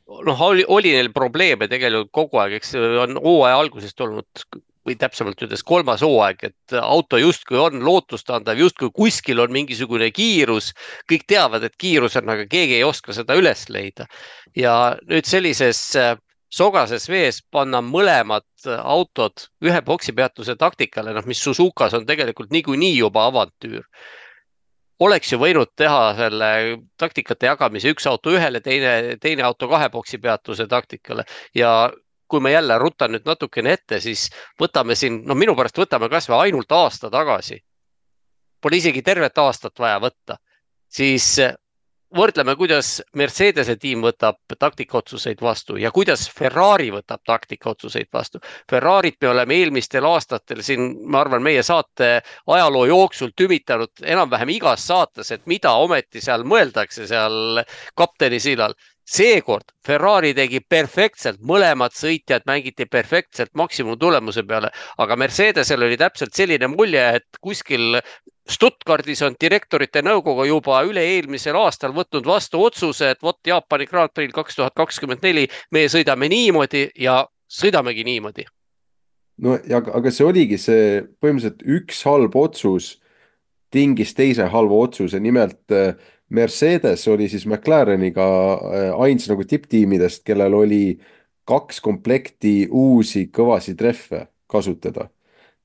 Noh, oli, oli neil probleeme tegelikult kogu aeg, eks on hooaja algusest olnud või täpsemalt ütles kolmas hooaeg, et auto justkui on lootustandav, justkui kuskil on mingisugune kiirus, kõik teavad, et kiirus on, aga keegi ei oska seda üles leida. Ja nüüd sellises sogases vees panna mõlemad autod ühe boksipeatuse taktikale, noh, mis Suzukas on tegelikult niikuinii juba avantüür. Oleks ju võinud teha selle taktikate jagamise üks auto ühele, teine, teine auto kahe boksi peatuse taktikale. Ja kui me jälle rutan nüüd natukene ette, siis võtame siin, no minu pärast võtame kas või ainult aasta tagasi. Pole isegi tervet aastat vaja võtta. Siis võrdleme, kuidas Mercedese tiim võtab taktikaotsuseid vastu ja kuidas Ferrari võtab taktikaotsuseid vastu. Ferrarit me oleme eelmistel aastatel siin, ma arvan, meie saate ajaloo jooksul tümitanud enam-vähem igas saates, et mida ometi seal mõeldakse seal kapteni sillal. Seekord Ferrari tegi perfektselt, mõlemad sõitjad mängiti perfektselt maksimum tulemuse peale, aga Mercedesel oli täpselt selline mulje, et kuskil Stuttgardis on direktorite nõukogu juba üle eelmisel aastal võtnud vastu otsuse, et vot Jaapani Grand Prix kaks tuhat kakskümmend neli me sõidame niimoodi ja sõidamegi niimoodi. No ja, aga see oligi see põhimõtteliselt üks halb otsus tingis teise halva otsuse, nimelt Mercedes oli siis McLareniga ains nagu tipptiimidest, kellel oli kaks komplekti uusi kõvasi treffe kasutada.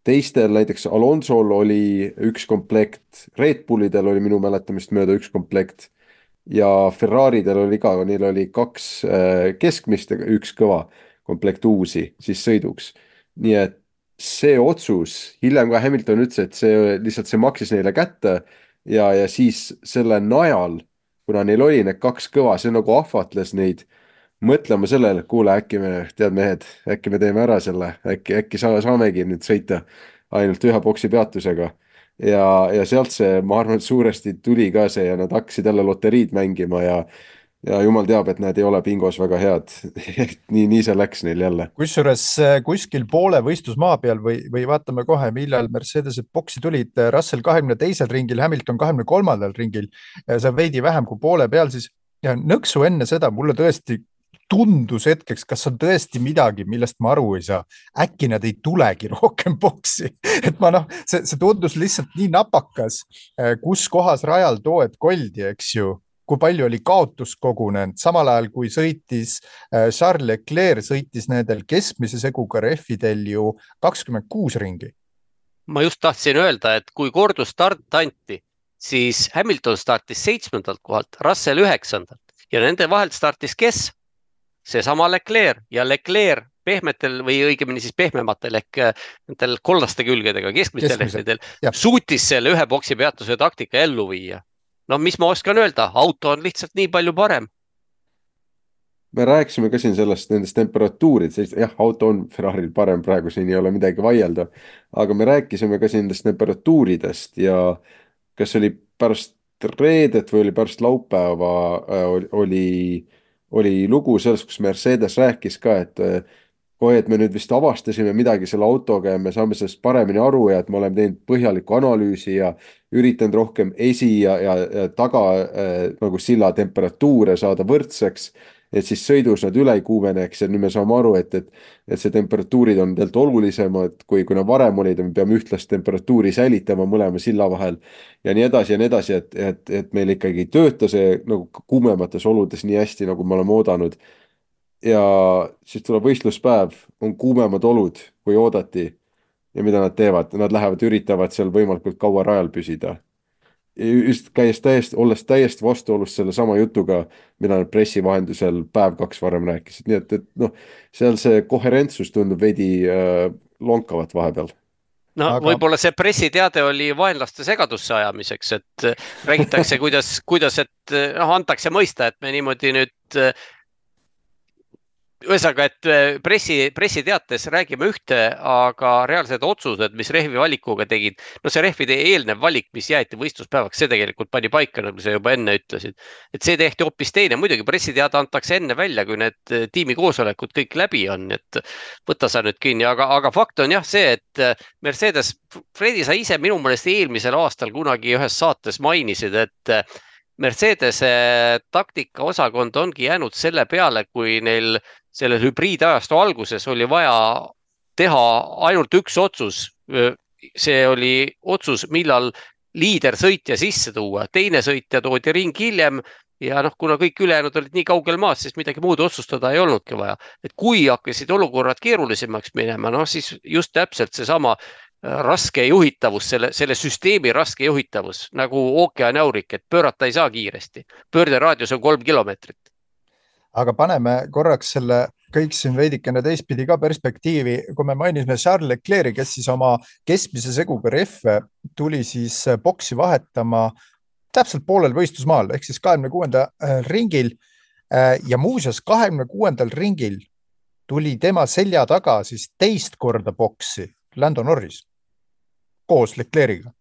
Teistel näiteks Alonsol oli üks komplekt, Red Bullidel oli minu mäletamist mööda üks komplekt ja Ferraridel oli ka, neil oli kaks keskmist ja üks kõva komplekt uusi siis sõiduks. Nii et see otsus, hiljem ka Hamilton ütles, et see lihtsalt see maksis neile kätte ja, ja siis selle najal, kuna neil oli need kaks kõva, see nagu ahvatles neid mõtlema sellele, et kuule, äkki me, tead mehed, äkki me teeme ära selle, äkki, äkki sa, saamegi nüüd sõita ainult ühe boksi peatusega. Ja, ja sealt see, ma arvan, et suuresti tuli ka see ja nad hakkasid jälle loteriid mängima ja, ja jumal teab, et need ei ole bingos väga head. nii, nii see läks neil jälle. Kusjuures kuskil poole võistlusmaa peal või, või vaatame kohe, millal Mercedesed boksi tulid, Russell kahekümne teisel ringil, Hamilton kahekümne kolmandal ringil, see veidi vähem kui poole peal, siis ja nõksu enne seda mulle tõesti tundus hetkeks, kas on tõesti midagi, millest ma aru ei saa. Äkki nad ei tulegi rohkem boksi. Et ma noh, see, see tundus lihtsalt nii napakas, kus kohas rajal tooed koldi, eks ju, kui palju oli kaotus kogunenud. Samal ajal, kui sõitis Charles Leclerc, sõitis nendel keskmise seguga rehvidel ju kakskümmend kuus ringi. Ma just tahtsin öelda, et kui kordus start anti, siis Hamilton startis seitsmendalt kohalt, Russell üheksandalt ja nende vahelt startis kes? Seesama Leclerc ja Leclerc pehmetel või õigemini siis pehmematel ehk nendel kollaste külgedega, keskmistel lehtedel, suutis selle ühe boksi peatuse taktika ellu viia. No mis ma oskan öelda, auto on lihtsalt nii palju parem. Me rääkisime ka siin sellest nendest temperatuurid, jah, auto on Ferraril parem praegu, siin ei ole midagi vaielda, aga me rääkisime ka siin nendest temperatuuridest ja kas oli pärast reedet või oli pärast laupäeva oli oli lugu selles, kus Mercedes rääkis ka, et kohe, et me nüüd vist avastasime midagi selle autoga ja me saame sellest paremini aru ja et me oleme teinud põhjaliku analüüsi ja üritanud rohkem esi ja, ja, ja taga äh, nagu silla temperatuure saada võrdseks, et siis sõidus nad üle ei kuumeneks ja nüüd me saame aru, et, et, et see temperatuurid on tegelikult olulisemad, kui, kui nad varem olid ja me peame ühtlast temperatuuri säilitama mõlema silla vahel ja nii edasi ja nii edasi, et, et, et meil ikkagi tööta see nagu kuumemates oludes nii hästi, nagu me oleme oodanud. Ja siis tuleb võistluspäev, on kuumemad olud, kui oodati ja mida nad teevad, nad lähevad, üritavad seal võimalikult kaua rajal püsida. Just käies täiesti, olles täiesti vastuolus selle sama jutuga, mida nad pressi vahendusel päev kaks varem rääkisid. Nii et, et noh, seal see koherentsus tundub veidi äh, lonkavat vahepeal. No aga... võib-olla see pressiteade oli vaenlaste segadusse ajamiseks, et räägitakse, kuidas, kuidas et noh, antakse mõista, et me niimoodi nüüd ühesõnaga, et pressi, pressiteates räägime ühte, aga reaalsed otsused, mis rehvi valikuga tegid, no see rehvide eelnev valik, mis jäeti võistluspäevaks, see tegelikult pani paika, nagu sa juba enne ütlesid. Et see tehti hoopis teine, muidugi pressiteade antakse enne välja, kui need tiimi koosolekud kõik läbi on, et võtta sa nüüd kinni, aga, aga fakt on jah see, et Mercedes, Fredi, sa ise minu meelest eelmisel aastal kunagi ühes saates mainisid, et Mercedese taktika osakond ongi jäänud selle peale, kui neil sellel hübriidajastu alguses oli vaja teha ainult üks otsus. See oli otsus, millal liider sõitja sisse tuua, teine sõitja toodi ring hiljem ja noh, kuna kõik ülejäänud olid nii kaugel maas, siis midagi muud otsustada ei olnudki vaja. Et kui hakkasid olukorrad keerulisemaks minema, noh siis just täpselt see sama raske juhitavus, selle, selle süsteemi raske juhitavus nagu ookeanjaurik, et pöörata ei saa kiiresti. Pöörderaadius on kolm kilomeetrit. Aga paneme korraks selle kõik siin veidikene teistpidi ka perspektiivi. Kui me mainisime Charles Leclerc'i, kes siis oma keskmise seguga rehve tuli siis boksi vahetama täpselt poolel võistlusmaal, ehk siis kahekümne kuuenda ringil ja muuseas kahekümne kuuendal ringil tuli tema selja taga siis teist korda boksi Lando Norris koos Leclerc'iga.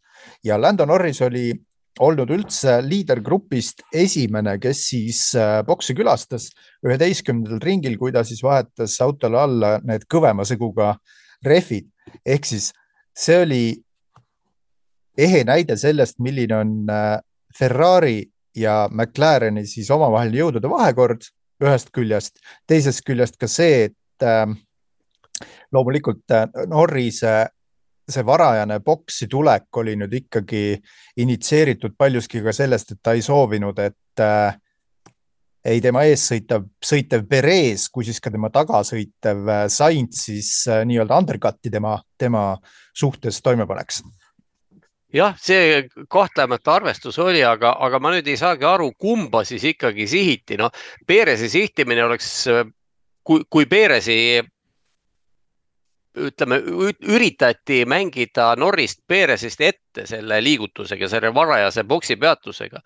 Ja Lando Norris oli olnud üldse liidergrupist esimene, kes siis boksi külastas üheteistkümnendal ringil, kui ta siis vahetas autole alla need kõvema seguga rehvid. Ehk siis see oli ehe näide sellest, milline on Ferrari ja McLareni siis omavahel jõudude vahekord ühest küljest, teisest küljest ka see, et loomulikult Norrise see varajane boksi tulek oli nüüd ikkagi initseeritud paljuski ka sellest, et ta ei soovinud, et äh, ei tema ees sõitev, sõitev Perez, kui siis ka tema tagasõitev Sainz siis äh, nii-öelda undercutti tema, tema suhtes toime paneks. Jah, see kahtlemata arvestus oli, aga, aga ma nüüd ei saagi aru, kumba siis ikkagi sihiti. No, Perezi sihtimine oleks, kui, kui Perezi ütleme, üritati mängida Norrist Perezist ette selle liigutusega, selle varajase boksi peatusega,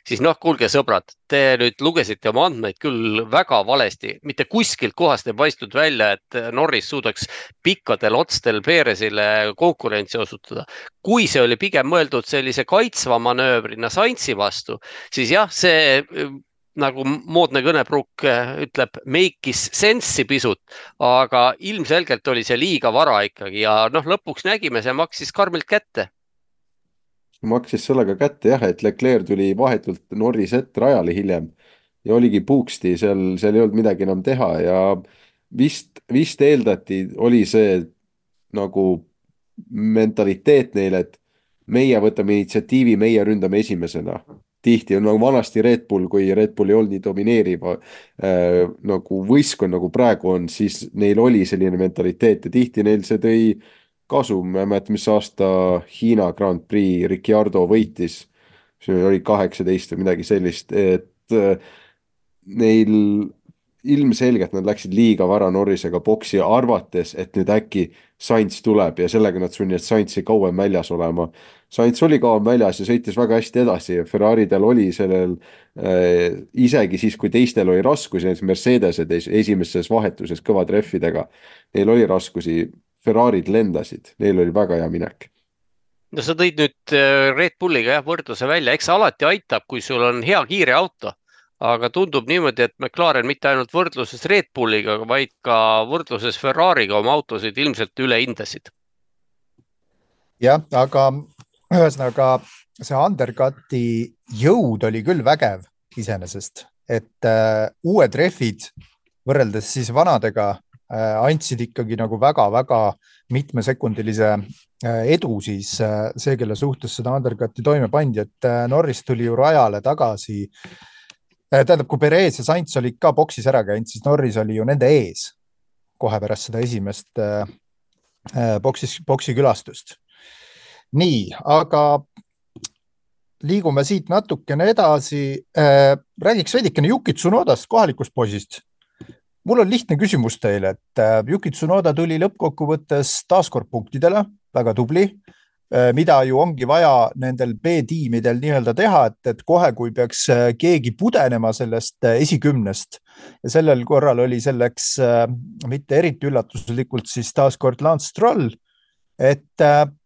siis noh, kuulge sõbrad, te nüüd lugesite oma andmeid küll väga valesti. Mitte kuskilt kohast ei paistnud välja, et Norris suudaks pikkadel otstel Perezile konkurentsi osutada. Kui see oli pigem mõeldud sellise kaitsva manöövrina Sainzi vastu, siis jah, see nagu moodne kõnepruuk ütleb, make'is sense'i pisut, aga ilmselgelt oli see liiga vara ikkagi ja noh, lõpuks nägime, see maksis karmilt kätte. Maksis sellega kätte jah, et Leclerc tuli vahetult Norris ette rajale hiljem ja oligi puuksti, seal, seal ei olnud midagi enam teha ja vist, vist eeldati, oli see nagu mentaliteet neile, et meie võtame initsiatiivi, meie ründame esimesena. Tihti on nagu vanasti Red Bull, kui Red Bull ei olnud nii domineeriv äh, nagu võistkond, nagu praegu on, siis neil oli selline mentaliteet ja tihti neil see tõi kasu. Ma mäletan, mis aasta Hiina Grand Prix Ricciardo võitis, see oli kaheksateist või midagi sellist, et äh, neil ilmselgelt nad läksid liiga vara Norrisega boksi arvates, et nüüd äkki Sainz tuleb ja sellega nad sunnivad Sainzi kauem väljas olema. Sainz oli kauem väljas ja sõitis väga hästi edasi. Ferraridel oli sellel äh, isegi siis, kui teistel oli raskusi, Mercedesed esimeses vahetuses kõvad rehvidega, neil oli raskusi, Ferrarid lendasid, neil oli väga hea minek. No sa tõid nüüd Red Bulliga jah, võrdluse välja, eks alati aitab, kui sul on hea kiire auto. Aga tundub niimoodi, et McLaren mitte ainult võrdluses Red Bulliga, vaid ka võrdluses Ferrariga oma autosid ilmselt üle hindasid. Jah, aga ühesõnaga see undercuti jõud oli küll vägev iseenesest, et äh, uued rehvid võrreldes siis vanadega äh, andsid ikkagi nagu väga-väga mitmesekundilise äh, edu siis äh, see, kelle suhtes seda undercuti toime pandi, et äh, Norris tuli ju rajale tagasi. Tähendab, kui Perez ja Sainz olid ka boksis ära käinud, siis Norris oli ju nende ees kohe pärast seda esimest äh, boksis, boksi külastust. Nii, aga liigume siit natukene edasi. Äh, räägiks veidikene Yuki Tsunodast, kohalikust poisist. Mul on lihtne küsimus teile, et äh, Yuki Tsunoda tuli lõppkokkuvõttes taaskord punktidele, väga tubli. Mida ju ongi vaja nendel B-tiimidel nii-öelda teha, et, et kohe, kui peaks keegi pudenema sellest esikümnest ja sellel korral oli selleks mitte eriti üllatuslikult siis taaskord Lance Stroll, et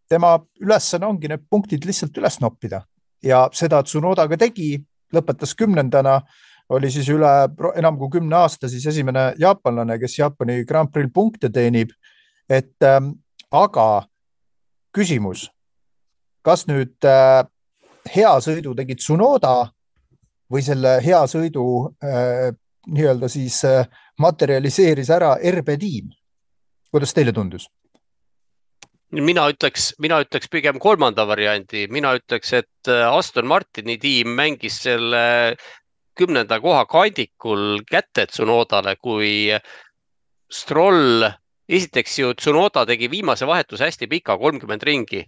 tema ülesanne ongi need punktid lihtsalt üles noppida ja seda Tsunoda ka tegi, lõpetas kümnendana, oli siis üle enam kui kümne aasta siis esimene jaapanlane, kes Jaapani Grand Prix punkte teenib, et aga küsimus, kas nüüd äh, hea sõidu tegi Tsunoda või selle hea sõidu äh, nii-öelda siis äh, materialiseeris ära R B tiim? kuidas teile tundus? mina ütleks, mina ütleks pigem kolmanda variandi, mina ütleks, et Aston Martini tiim mängis selle kümnenda koha kandikul kätte Tsunodale, kui Stroll, esiteks ju Tsunoda tegi viimase vahetuse hästi pika, kolmkümmend ringi.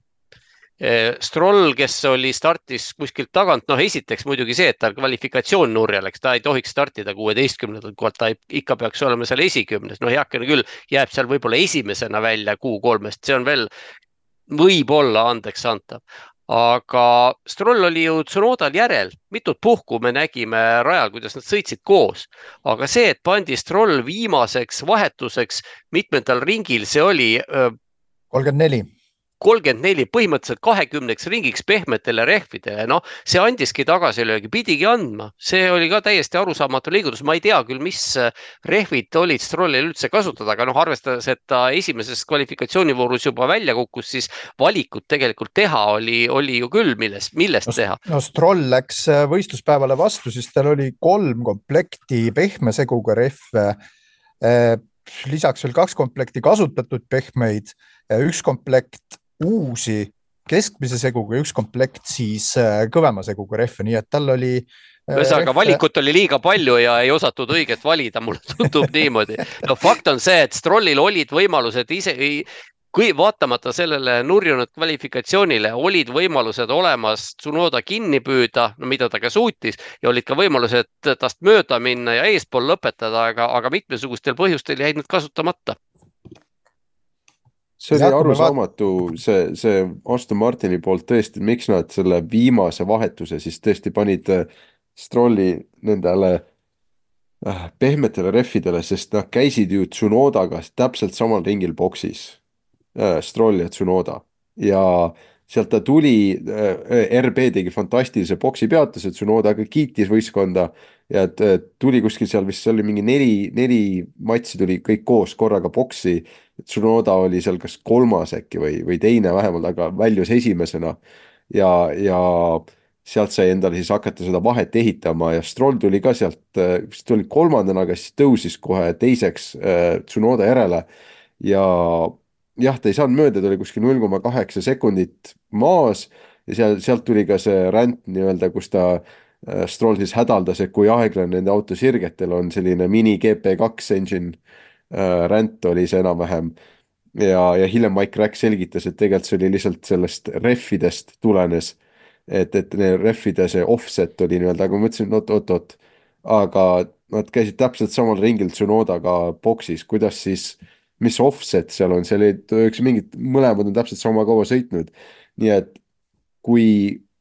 Stroll, kes oli startis kuskilt tagant, noh esiteks muidugi see, et tal kvalifikatsioon nurja läks, ta ei tohiks startida kuueteistkümnendalt kohalt, ta ikka peaks olema seal esikümnes, no heakene küll, jääb seal võib-olla esimesena välja kuu kolmest, see on veel võib-olla andeks antav. Aga Stroll oli ju Tsunodal järel, mitut puhku me nägime rajal, kuidas nad sõitsid koos. Aga see, et pandi Stroll viimaseks vahetuseks mitmendal ringil, see oli kolmkümmend neli. kolmkümmend neli põhimõtteliselt kahekümneks ringiks pehmetele rehvidele, noh, see andiski tagasilöögi, pidigi andma, see oli ka täiesti arusaamatu liigutus, ma ei tea küll, mis rehvid olid Strollil üldse kasutada, aga noh, arvestades, et ta esimeses kvalifikatsioonivoorus juba välja kukkus, siis valikut tegelikult teha oli, oli ju küll, millest, millest no, teha. No Stroll läks võistluspäevale vastu, siis tal oli kolm komplekti pehme seguga rehve, lisaks veel kaks komplekti kasutatud pehmeid, üks komplekt uusi keskmise seguga ja üks komplekt siis kõvema seguga rehve, nii et tal oli ühesõnaga, valikut oli liiga palju ja ei osatud õiget valida, mulle tundub niimoodi. No fakt on see, et Strollil olid võimalused ise, kui vaatamata sellele nurjunud kvalifikatsioonile, olid võimalused olemas Tsunoda kinni püüda, no mida ta ka suutis, ja olid ka võimalused tast mööda minna ja eespool lõpetada, aga, aga mitmesugustel põhjustel jäid need kasutamata. See oli arusaamatu, see, see Aston Martini poolt tõesti, miks nad selle viimase vahetuse siis tõesti panid Strolli nendele pehmetele rehvidele, sest nad käisid ju Tsunodaga täpselt samal ringil boksis, Stroll ja Tsunoda, ja sealt ta tuli, R B tegi fantastilise boksi peatuse, Tsunoda aga kiitis võistkonda ja tuli kuskil seal, vist see oli mingi neli, neli matsi tuli kõik koos korraga boksi. Tsunoda oli seal kas kolmas äkki või, või teine vähemalt, aga väljus esimesena ja, ja sealt sai endale siis hakata seda vahet ehitama ja Stroll tuli ka sealt, vist tuli kolmandana, aga siis tõusis kohe teiseks Tsunoda järele ja jah, ta ei saanud mööda, ta oli kuskil null koma kaheksa sekundit maas ja seal, sealt tuli ka see ränd nii-öelda, kus ta Stroll siis hädaldas, et kui aeglane nende auto sirgetel on selline mini G P kaks engine ränd oli see enam-vähem ja, ja hiljem Mike Rack selgitas, et tegelikult see oli lihtsalt sellest rehvidest tulenes, et, et rehvide see offset oli nii-öelda, aga ma mõtlesin, oot, oot, oot, aga nad käisid täpselt samal ringil Tsunodaga boksis, kuidas siis mis offset seal on, seal oli üks mingid, mõlemad on täpselt sama kaua sõitnud. Nii et kui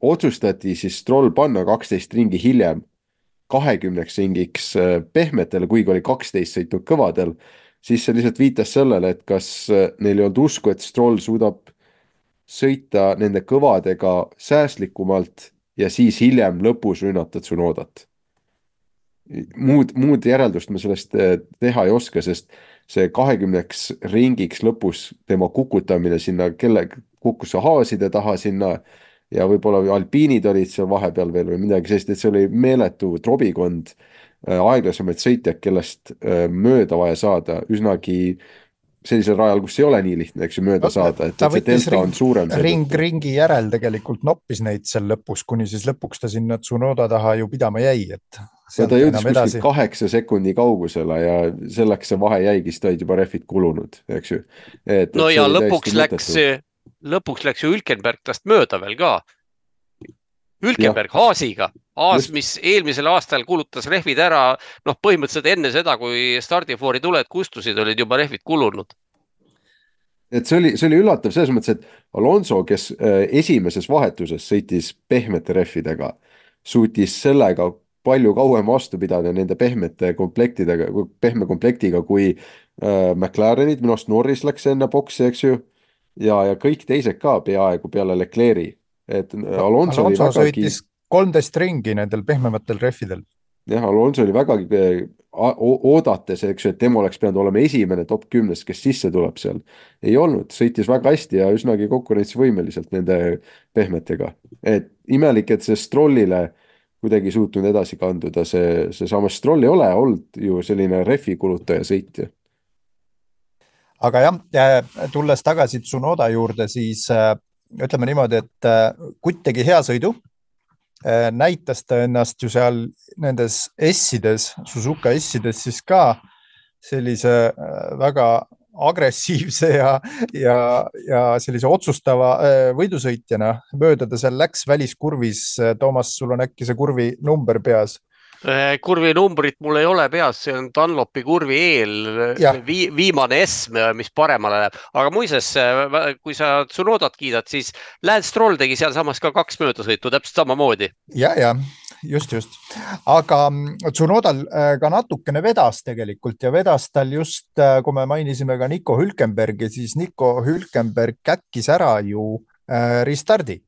otsustati siis Stroll panna kaksteist ringi hiljem kahekümneks ringiks pehmetele, kuigi oli kaksteist sõitnud kõvadel, siis see lihtsalt viitas sellele, et kas neil ei olnud usku, et Stroll suudab sõita nende kõvadega säästlikumalt ja siis hiljem lõpus rünnata Tsunodat. Muud, muud järeldust me sellest teha ei oska, sest see kahekümneks ringiks lõpus tema kukutamine sinna, kelle kukkus haaside taha sinna ja võib-olla alpiinid olid seal vahepeal veel või midagi sellist, et see oli meeletu trobikond aeglasemaid sõitjad, kellest mööda vaja saada üsnagi sellisel rajal, kus ei ole nii lihtne, eks ju, mööda saada, et, et see delta on suurem. Ring, ringi järel tegelikult noppis neid seal lõpus, kuni siis lõpuks ta sinna Tsunoda taha ju pidama jäi, et ja ta jõudis kuskil kaheksa sekundi kaugusele ja selleks see vahe jäigi, siis ta olid juba rehvid kulunud, eks ju. Et, no ja lõpuks läks, lõpuks läks ju Hülkenberg tast mööda veel ka. Hülkenberg ja. Haasiga. Haas, Just. mis eelmisel aastal kulutas rehvid ära, noh põhimõtteliselt enne seda, kui stardifoori tuled kustusid, olid juba rehvid kulunud. Et see oli, see oli üllatav selles mõttes, et Alonso, kes esimeses vahetuses sõitis pehmete rehvidega, suutis sellega palju kauem vastu pidada nende pehmete komplektidega, pehme komplektiga, kui äh, McLarenid, minu arust Norris läks enne boksi, eks ju, ja, ja kõik teised ka peaaegu peale Leclerc'i. Et Alonso, Alonso oli sõitis kolmteist ringi nendel pehmematel rehvidel. Jah, Alonso oli vägagi oodates, eks ju, et tema oleks pidanud olema esimene top kümnes, kes sisse tuleb seal. Ei olnud, sõitis väga hästi ja üsnagi konkurentsivõimeliselt nende pehmetega. Et imelik, et see Strollile kuidagi suutnud edasi kanduda, see, see samas Stroll ei ole olnud ju selline refi kulutaja sõitja. aga jah, tulles tagasi Tsunoda juurde, siis ütleme niimoodi, et Kutt tegi hea sõidu. Näitas ta ennast ju seal nendes S-ides, Suzuka S-ides siis ka sellise väga agressiivse ja, ja, ja sellise otsustava võidusõitjana. Mööda ta seal läks väliskurvis. Toomas, sul on äkki see kurvi number peas? Kurvi numbrit mul ei ole peas, see on Dunlopi kurvi eel vi, viimane S, mis paremale läheb. Aga muises, kui sa Tsunodat kiidad, siis Lance Stroll tegi seal samas ka kaks möödasõitu, täpselt samamoodi. Ja, ja, just, just. Aga Tsunodal ka natukene vedas tegelikult ja vedas tal just, kui me mainisime ka Nico Hülkenbergi, siis Nico Hülkenberg käkkis ära ju restardi.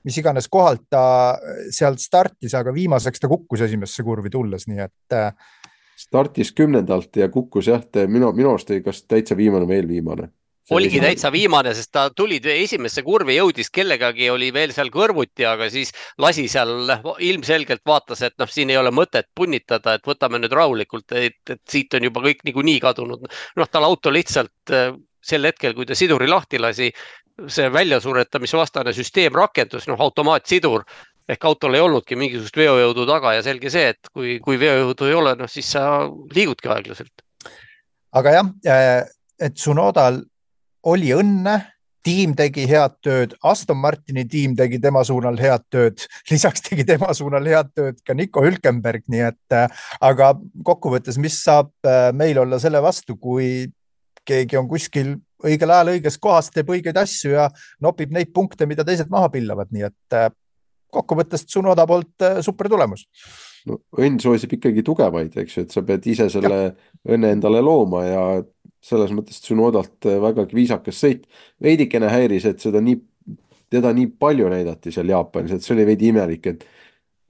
Mis iganes kohalt ta sealt startis, aga viimaseks ta kukkus esimesse kurvi tulles, nii et... Startis kümnendalt ja kukkus jah, minu, minu arust ei kas täitsa viimane või eelviimane. Oligi esimene... täitsa viimane, sest ta tuli esimesse kurvi, jõudis kellegagi, oli veel seal kõrvuti, aga siis lasi seal ilmselgelt vaatas, et noh, siin ei ole mõtet punnitada, et võtame nüüd rahulikult, et, et siit on juba kõik niikuinii kadunud. Noh, tal auto lihtsalt sel hetkel, kui ta siduri lahti lasi, see väljasuretamisvastane süsteem rakendus, noh, automaatsidur, ehk autol ei olnudki mingisugust veojõudu taga ja selge see, et kui, kui veojõudu ei ole, noh, siis sa liigudki aeglaselt. Aga jah, et Tsunodal oli õnne, tiim tegi head tööd, Aston Martini tiim tegi tema suunal head tööd, lisaks tegi tema suunal head tööd ka Nico Hülkenberg, nii et aga kokkuvõttes, mis saab meil olla selle vastu, kui keegi on kuskil õigel ajal õiges kohas, teeb õigeid asju ja nopib neid punkte, mida teised maha pillavad, nii et kokkuvõttes Tsunoda poolt super tulemus. No, õnn soosib ikkagi tugevaid, eks ju, et sa pead ise selle ja. õnne endale looma ja selles mõttes Tsunodalt väga viisakas sõit. Veidikene häiris, et seda nii, teda nii palju näidati seal Jaapanis, et see oli veidi imelik, et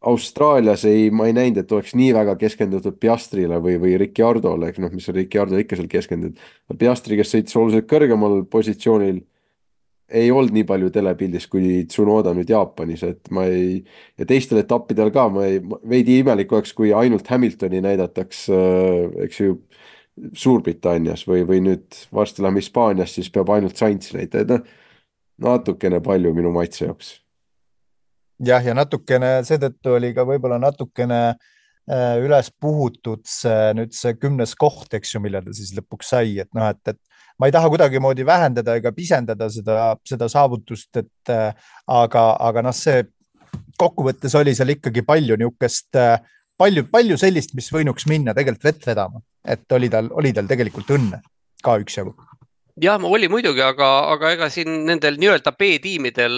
Austraalias ei, ma ei näinud, et oleks nii väga keskendutud Piastrile või, või Ricciardole, noh, mis on Ricciardo ikka seal keskendunud. Piastri, kes sõitis oluliselt kõrgemal positsioonil, ei olnud nii palju telepildis kui Tsunoda nüüd Jaapanis, et ma ei, ja teistel etappidel ka, ma ei, veidi imelik oleks, kui ainult Hamiltoni näidataks, eks ju, Suurbritannias või, või nüüd varsti läheme Hispaanias, siis peab ainult Sainz näita, et natukene palju minu maitse joks. Jah, ja natukene, seetõttu oli ka võib-olla natukene üles puhutud see, nüüd see kümnes koht, eks ju, mille ta siis lõpuks sai, et noh, et, et ma ei taha kuidagi moodi vähendada ega pisendada seda, seda saavutust, et aga, aga noh, see kokkuvõttes oli seal ikkagi palju niukest, palju, palju sellist, mis võinuks minna tegelikult vett vedama, et oli tal, oli tal tegelikult õnne ka üks jagu. Jah, ma oli muidugi, aga, aga ega siin nendel nii-öelda B-tiimidel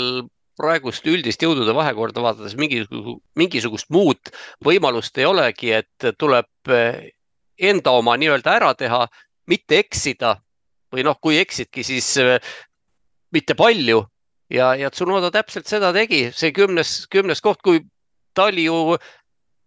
praegust üldist jõudude vahekorda vaadates mingisugust, mingisugust muud võimalust ei olegi, et tuleb enda oma nii-öelda ära teha, mitte eksida või noh, kui eksidki, siis mitte palju ja, ja Tsunoda täpselt seda tegi, see kümnes, kümnes koht, kui ta oli ju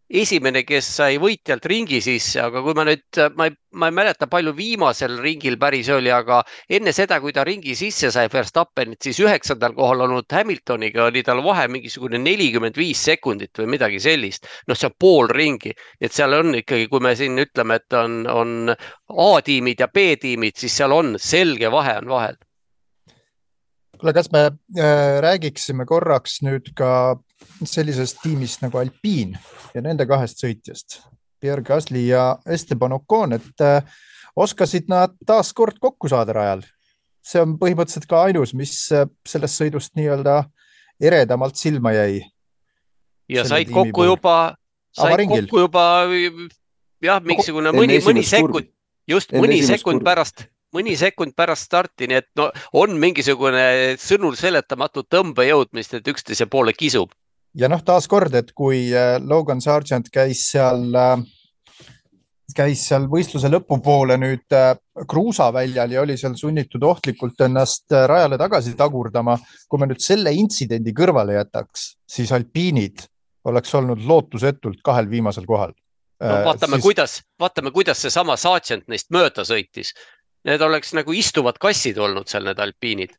esimene, kes sai võitjalt ringi sisse, aga kui ma nüüd, ma ei, ma ei mäleta palju viimasel ringil päris oli, aga enne seda, kui ta ringi sisse sai Verstappenit, siis üheksandal kohal olnud Hamiltoniga oli tal vahe mingisugune nelikümmend viis sekundit või midagi sellist. Noh, see on pool ringi, et seal on ikkagi, kui me siin ütleme, et on, on A-tiimid ja B-tiimid, siis seal on selge vahe on vahel. Kuule, kas me äh, räägiksime korraks nüüd ka sellisest tiimist nagu Alpine ja nende kahest sõitjast, Pierre Gasly ja Esteban Ocon, et äh, oskasid nad taas kord kokku saada rajal. See on põhimõtteliselt ka ainus, mis sellest sõidust nii-öelda eredamalt silma jäi. Ja said kokku pool. juba, said kokku juba, jah, mingisugune mõni, mõni sekund, just enne mõni sekund kurvi. pärast mõni sekund pärast starti, nii et no, on mingisugune sõnul seletamatu tõmbejõudmist, et üksteise poole kisub. Ja noh, taas kord, et kui Logan Sargent käis seal, käis seal võistluse lõpupoole nüüd kruusaväljal ja oli seal sunnitud ohtlikult ennast rajale tagasi tagurdama, kui me nüüd selle intsidendi kõrvale jätaks, siis alpiinid oleks olnud lootusetult kahel viimasel kohal. No, vaatame, siis... kuidas, vaatame, kuidas see sama Sargent neist mööda sõitis. Need oleks nagu istuvad kassid olnud seal need alpiinid.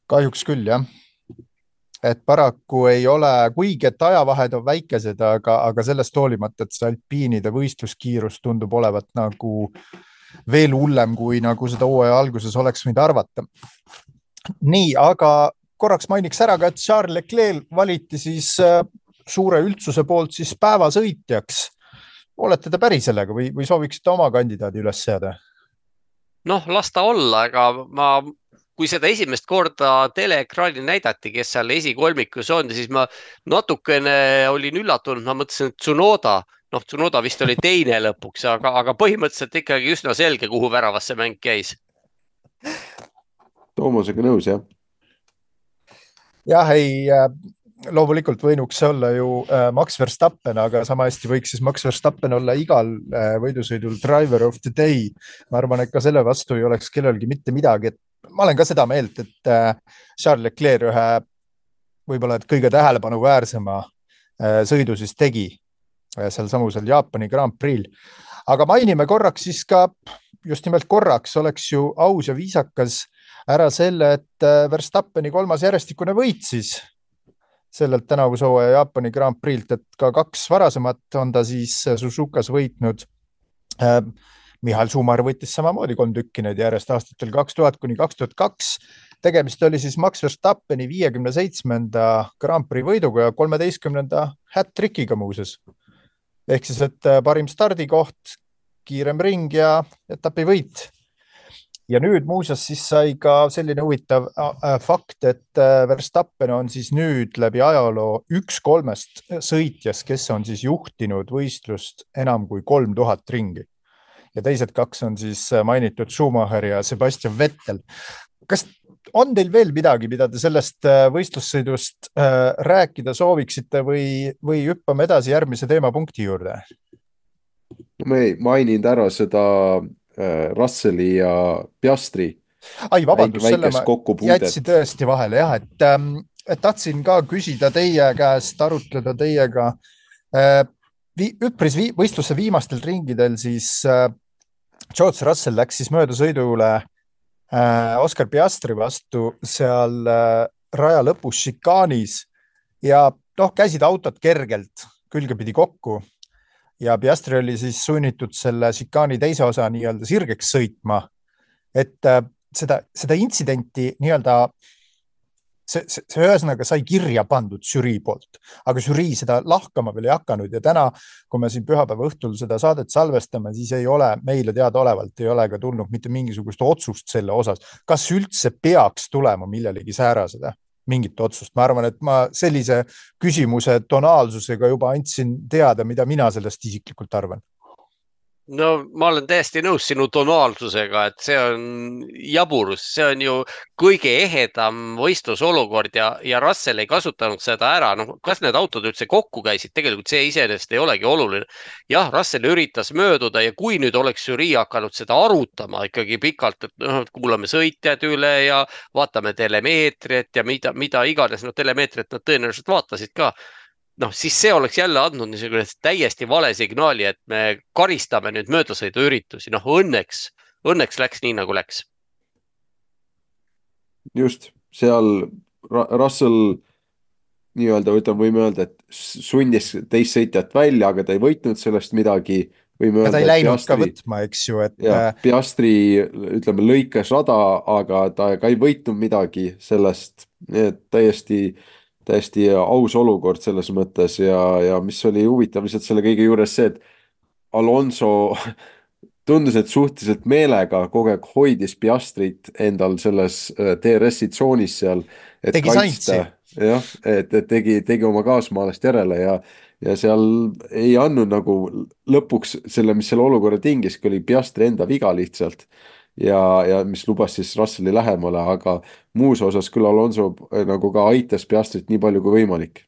Kahjuks küll, jah. Et paraku ei ole, kuigi et ajavahed on väikesed, aga, aga sellest hoolimata, et see alpiinide võistluskiirus tundub olevat nagu veel hullem, kui nagu seda hooaja alguses oleks võinud arvata. Nii, aga korraks mainiks ära ka, et Charles Leclerc valiti siis suure üldsuse poolt siis päevasõitjaks. Olete te päri sellega või, või sooviksite oma kandidaadi üles seada? Noh, las ta olla, aga ma, kui seda esimest korda teleekraani näidati, kes seal esikolmikus on, siis ma natukene olin üllatunud, ma mõtlesin, et Tsunoda, noh, Tsunoda vist oli teine lõpuks, aga, aga põhimõtteliselt ikkagi üsna selge, kuhu väravasse mäng käis. Toomasega nõus, jah. Jah, ei, loomulikult võinuks olla ju Max Verstappen, aga sama hästi võiks siis Max Verstappen olla igal võidusõidul driver of the day. Ma arvan, et ka selle vastu ei oleks kellelgi mitte midagi. Et ma olen ka seda meelt, et Charles Leclerc ühe võib-olla et kõige tähelepanu väärsema sõidu siis tegi seal samusel Jaapani Grand Prix'l. Aga mainime korraks siis ka, just nimelt korraks oleks ju aus ja viisakas ära selle, et Verstappeni kolmas järjestikune võit siis sellelt tänavuse hooaja Jaapani Grand Prix'lt, et ka kaks varasemat on ta siis Suzukas võitnud. Michael Schumacher võttis samamoodi kolm tükki need järjest aastatel kaks tuhat kuni kaks tuhat kaks. Tegemist oli siis Max Verstappeni viiekümne seitsmenda Grand Prix võiduga ja kolmeteistkümnenda hat-trickiga muuses. Ehk siis, et parim stardikoht, kiirem ring ja etapi võit. Ja nüüd muuseas siis sai ka selline huvitav fakt, et Verstappen on siis nüüd läbi ajaloo üks kolmest sõitjas, kes on siis juhtinud võistlust enam kui kolm tuhat ringi. Ja teised kaks on siis mainitud Schumacher ja Sebastian Vettel. Kas on teil veel midagi, mida te sellest võistlussõidust rääkida sooviksite või, või hüppame edasi järgmise teemapunkti juurde? Ma ei maininud ära seda Russelli ja Piastri. Ai, vabandust, selle ma jätsi tõesti vahele, jah, et, et tahtsin ka küsida teie käest, arutleda teiega. Üpris võistluse viimastel ringidel siis George Russell läks siis möödasõidule Oscar Piastri vastu seal raja lõpus šikaanis ja noh, käisid autod kergelt külgepidi kokku. Ja Piastri oli siis sunnitud selle šikaani teise osa nii-öelda sirgeks sõitma, et seda, seda intsidenti nii-öelda see, see, see ühesõnaga sai kirja pandud žürii poolt, aga žürii seda lahkama veel ei hakanud ja täna, kui me siin pühapäeva õhtul seda saadet salvestame, siis ei ole meile teada olevalt, ei ole ka tulnud mitte mingisugust otsust selle osas. Kas üldse peaks tulema millelegi sääraseda? Mingit otsust. Ma arvan, et ma sellise küsimuse tonaalsusega juba andsin teada, mida mina sellest isiklikult arvan. No ma olen täiesti nõus sinu tonaalsusega, et see on jaburus, see on ju kõige ehedam võistlusolukord ja, ja Russell ei kasutanud seda ära. No, kas need autod üldse kokku käisid? Tegelikult see iseenesest ei olegi oluline. Jah, Russell üritas mööduda ja kui nüüd oleks žürii hakanud seda arutama ikkagi pikalt, et no, kuulame sõitjad üle ja vaatame telemeetriat ja mida, mida iganes, no telemeetriat nad tõenäoliselt vaatasid ka. noh, siis see oleks jälle andnud niisugune täiesti vale signaali, et me karistame nüüd möödasõidu üritusi. Noh, õnneks, õnneks läks nii, nagu läks. Just, seal Russell nii-öelda, võime öelda, et sundis teist sõitjat välja, aga ta ei võitnud sellest midagi. Ja ta ei läinud Piastri, ka võtma, eks ju. Et... Ja, Piastri, ütleme, lõikas rada, aga ta ka ei võitnud midagi sellest. Et täiesti... täiesti aus olukord selles mõttes ja, ja mis oli huvitav lihtsalt selle kõige juures see, et Alonso tundus, et suhteliselt meelega kogu aeg hoidis Piastrit endal selles T R S-i tsoonis seal, et tegi kaitsta, jah, et, et tegi, tegi oma kaasmaalast järele ja, ja seal ei andnud nagu lõpuks selle, mis selle olukorra tingiski, oli Piastri enda viga lihtsalt. Ja, ja mis lubas siis Russelli lähemale, aga muus osas küll Alonso nagu ka aitas Piastrit nii palju kui võimalik.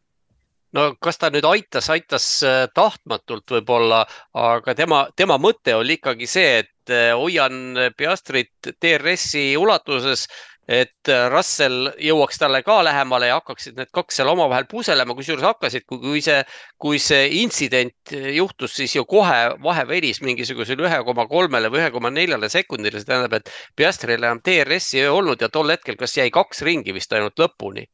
No kas ta nüüd aitas, aitas tahtmatult võib-olla, aga tema, tema mõte oli ikkagi see, et hoian Piastrit T R S-i ulatuses, et Russell jõuaks talle ka lähemale ja hakkaksid need kaks seal omavahel puselema, kui juures hakkasid, kui see, kui see intsident juhtus, siis ju kohe vahe venis mingisugusel üks koma kolm või üks koma neli sekundile, see tähendab, et Piastril enam T R S-i ei olnud ja tol hetkel kas jäi kaks ringi vist ainult lõpuni.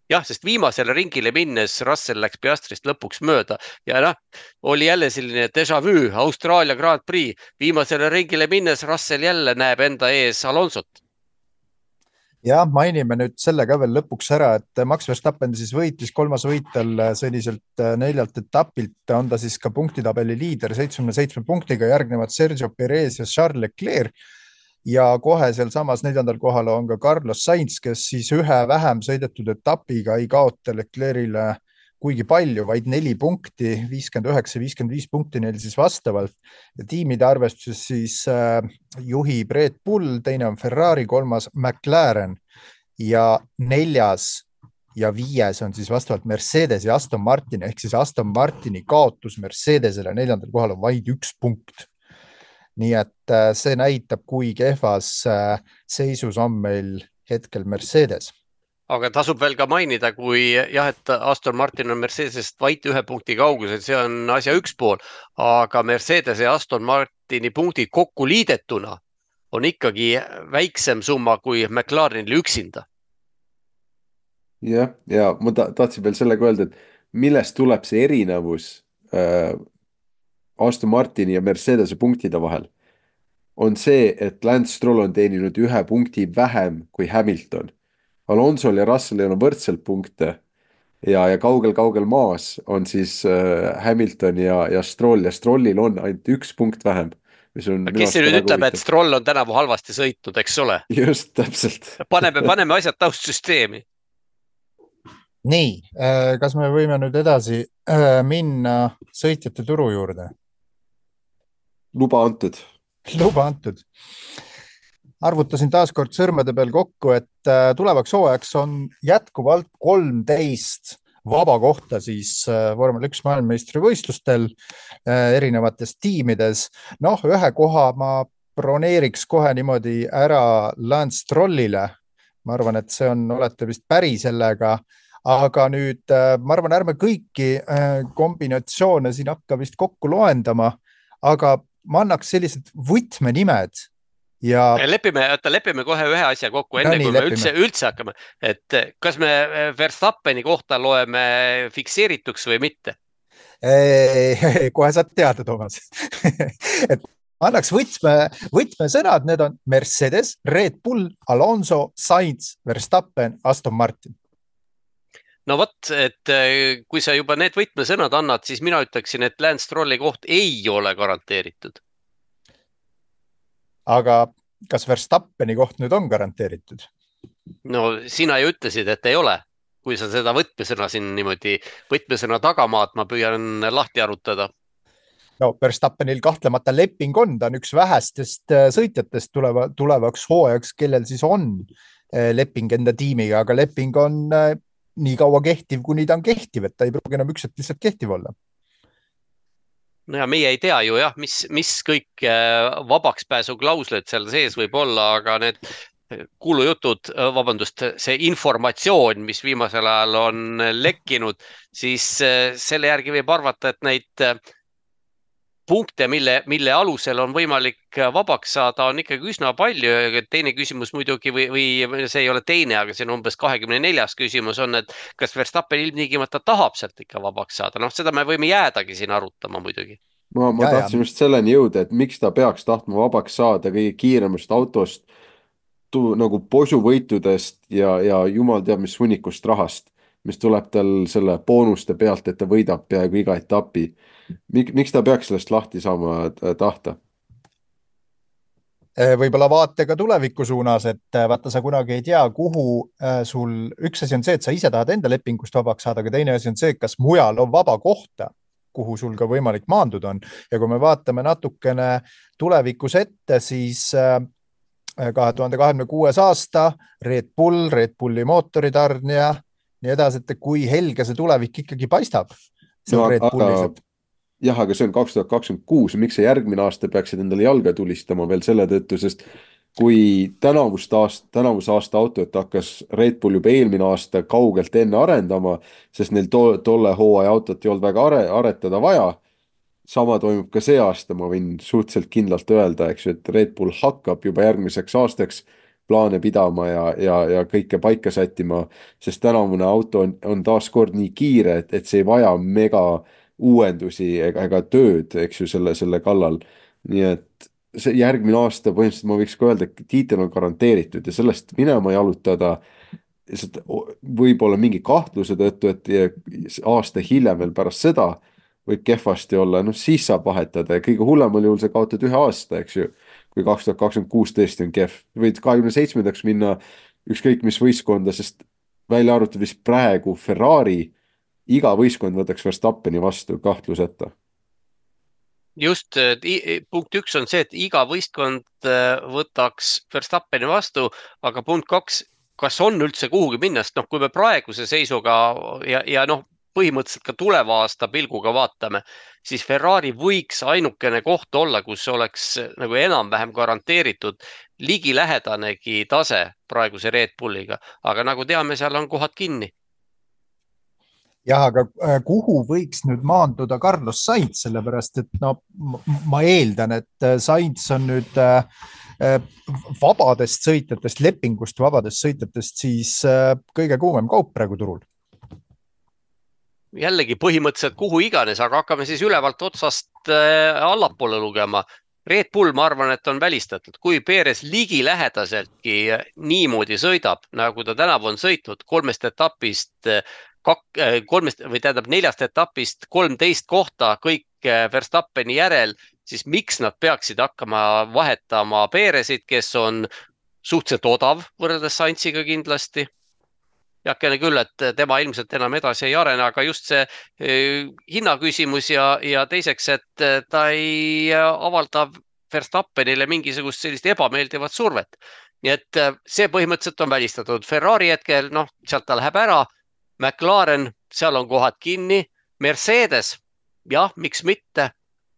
jah, sest viimasele ringile minnes Russell läks Piastrist lõpuks mööda ja noh, oli jälle selline déjà vu Austraalia Grand Prix. Viimasele ringile minnes Russell jälle näeb enda ees Alonsot. jah, mainime nüüd selle ka veel lõpuks ära, et Max Verstappen siis võitis kolmas võitel selliselt neljalt etapilt, on ta siis ka punktitabeli liider seitsmekümne seitsme punktiga, järgnevad Sergio Perez ja Charles Leclerc ja kohe sealsamas neljandal kohal on ka Carlos Sainz, kes siis ühe vähem sõidetud etapiga ei kaota Leclerc'ile kuigi palju, vaid neli punkti, viiskümmend üheksa, viiskümmend viis punkti neil siis vastavalt. Ja tiimide arvestuses siis äh, juhib Red Bull, teine on Ferrari, kolmas McLaren ja neljas ja viies on siis vastavalt Mercedes ja Aston Martin, ehk siis Aston Martini kaotus Mercedesele neljandal kohal on vaid üks punkt. Nii et äh, see näitab, kui kehvas äh, seisus on meil hetkel Mercedes. Aga tasub veel ka mainida, kui jah, et Aston Martin on Mercedesest vaid ühe punkti kaugusel, see on asja üks pool, aga Mercedes ja Aston Martini punktid kokku liidetuna on ikkagi väiksem summa kui McLarenil üksinda. jah, ja ma ta tahtsin veel sellega öelda, et millest tuleb see erinevus äh, Aston Martini ja Mercedese punktide vahel, on see, et Lance Stroll on teeninud ühe punkti vähem kui Hamilton. Alonsol ja Russellil on võrdselt punkte ja, ja kaugel-kaugel maas on siis äh, Hamilton ja, ja Stroll ja Strollil on ainult üks punkt vähem. Kes see nüüd ütleb, et Stroll on tänavu halvasti sõitnud, eks ole? Just, täpselt. Paneme, paneme asjad taustsüsteemi. Nii, kas me võime nüüd edasi minna sõitjate turu juurde? Luba antud. Luba antud. Arvutasin taas kord sõrmede peal kokku, et tulevaks hooajaks on jätkuvalt kolmteist vaba kohta siis vormel üks maailmameistri võistlustel erinevates tiimides. Noh, ühe koha ma broneeriks kohe niimoodi ära Lance Strollile. Ma arvan, et see on, olete vist päri sellega, aga nüüd ma arvan, ärme kõiki kombinatsioone siin hakka vist kokku loendama, aga ma annaks sellised võtmenimed. Ja... Lepime, lepime kohe ühe asja kokku, enne no, nii, kui me üldse, üldse hakkame. Et kas me Verstappeni kohta loeme fikseerituks või mitte? Kohe saad teada, Toomas. Et annaks võtme, võtme sõnad, need on Mercedes, Red Bull, Alonso, Sainz, Verstappen, Aston Martin. No vot, et kui sa juba need võtmesõnad annad, siis mina ütleksin, et Lance Strolli koht ei ole garanteeritud. Aga kas Verstappeni koht nüüd on garanteeritud? No sina ju ütlesid, et ei ole. Kui sa seda võtmesõna siin niimoodi võtmesõna tagamaad, ma püüan lahti arutada. No Verstappenil kahtlemata leping on, ta on üks vähestest sõitjatest tuleva, tulevaks hooajaks, kellel siis on leping enda tiimiga, aga leping on nii kaua kehtiv, kuni ta on kehtiv, et ta ei pruugi enam üks, et lihtsalt kehtiv olla. No ja meie ei tea ju jah, mis, mis kõik vabaks pääsu klausled seal sees võib olla, aga need kuulujutud, vabandust, see informatsioon, mis viimasel ajal on lekkinud, siis selle järgi võib arvata, et neid punkte, mille, mille alusel on võimalik vabaks saada, on ikkagi üsna palju. Teine küsimus muidugi, või, või see ei ole teine, aga see on umbes kahekümne neljas küsimus on, et kas Verstappen ilmtingimata tahab sealt ikka vabaks saada? Noh, seda me võime jäädagi siin arutama muidugi. Ma, ma ja, tahtsin ja. just selleni jõuda, et miks ta peaks tahtma vabaks saada kõige kiiremast autost, tu, nagu posuvõitudest ja, ja jumal teab mis hunnikust rahast, mis tuleb tal selle boonuste pealt, et ta võidab peaaegu iga etapi. Mik, miks ta peaks sellest lahti saama tahta? Võib-olla vaate ka tuleviku suunas, et vaata, sa kunagi ei tea, kuhu sul, üks asi on see, et sa ise tahad enda lepingust vabaks saada, aga teine asi on see, kas mujal on vaba kohta, kuhu sul ka võimalik maanduda on. Ja kui me vaatame natukene tulevikus ette, siis kahe tuhande kahekümne kuues aasta Red Bull, Red Bulli mootoritarnija, nii edasi, et kui helge see tulevik ikkagi paistab. No, aga, jah, aga see on kaks tuhat kakskümmend kuus, miks see järgmine aasta peaksid endale jalga tulistama veel selle tõttu, sest kui tänavust aasta, tänavuse aasta autot hakkas Red Bull juba eelmine aasta kaugelt enne arendama, sest neil to, tolle hooaja autot ei olnud väga are, aretada vaja. Sama toimub ka see aasta, ma võin suhteliselt kindlalt öelda, eks, et Red Bull hakkab juba järgmiseks aastaks plaane pidama ja, ja, ja kõike paika sättima, sest tänavune auto on, on taaskord nii kiire, et, et see ei vaja mega uuendusi ega, ega tööd, eks ju, selle, selle kallal. nii et see järgmine aasta põhimõtteliselt ma võiks ka öelda, et tiitel on garanteeritud ja sellest minema jalutada võib-olla mingi kahtluse tõttu, et aasta hiljem veel pärast seda võib kehvasti olla, noh siis saab vahetada ja kõige hullemal juhul sa kaotad ühe aasta, eks ju, kui kaks tuhat kakskümmend kuus tõesti on kehv. võid kahekümne seitsmendaks minna ükskõik mis võistkonda, sest välja arvatud vist praegu Ferrari, iga võistkond võtaks Verstappeni vastu kahtluseta. Just, punkt üks on see, et iga võistkond võtaks Verstappeni vastu, aga punkt kaks, kas on üldse kuhugi minna, sest noh, kui me praeguse seisuga ja, ja noh, põhimõtteliselt ka tuleva aasta pilguga vaatame, siis Ferrari võiks ainukene koht olla, kus oleks nagu enam-vähem garanteeritud ligilähedanegi tase praeguse Red Bulliga, aga nagu teame, seal on kohad kinni. Jah, aga kuhu võiks nüüd maanduda Carlos Sainz, sellepärast et no, ma eeldan, et Sainz on nüüd vabadest sõitjatest, lepingust vabadest sõitjatest siis kõige kuumem kaup praegu turul. Jällegi põhimõtteliselt kuhu iganes, aga hakkame siis ülevalt otsast allapoole lugema. Red Bull, ma arvan, et on välistatud. Kui Perez ligi lähedaseltki niimoodi sõidab, nagu ta tänavu on sõitnud, kolmest etapist Kak, kolmest või tähendab neljast etapist kolmteist kohta kõik Verstappeni järel, siis miks nad peaksid hakkama vahetama Perezit, kes on suhteliselt odav võrreldes Sainziga kindlasti. Jakene küll, et tema ilmselt enam edasi ei arene, aga just see hinnaküsimus ja, ja teiseks, et ta ei avalda Verstappenile mingisugust sellist ebameeldivat survet. Nii et see põhimõtteliselt on välistatud. Ferrari hetkel, noh, sealt ta läheb ära. McLaren, seal on kohad kinni, Mercedes, jah, miks mitte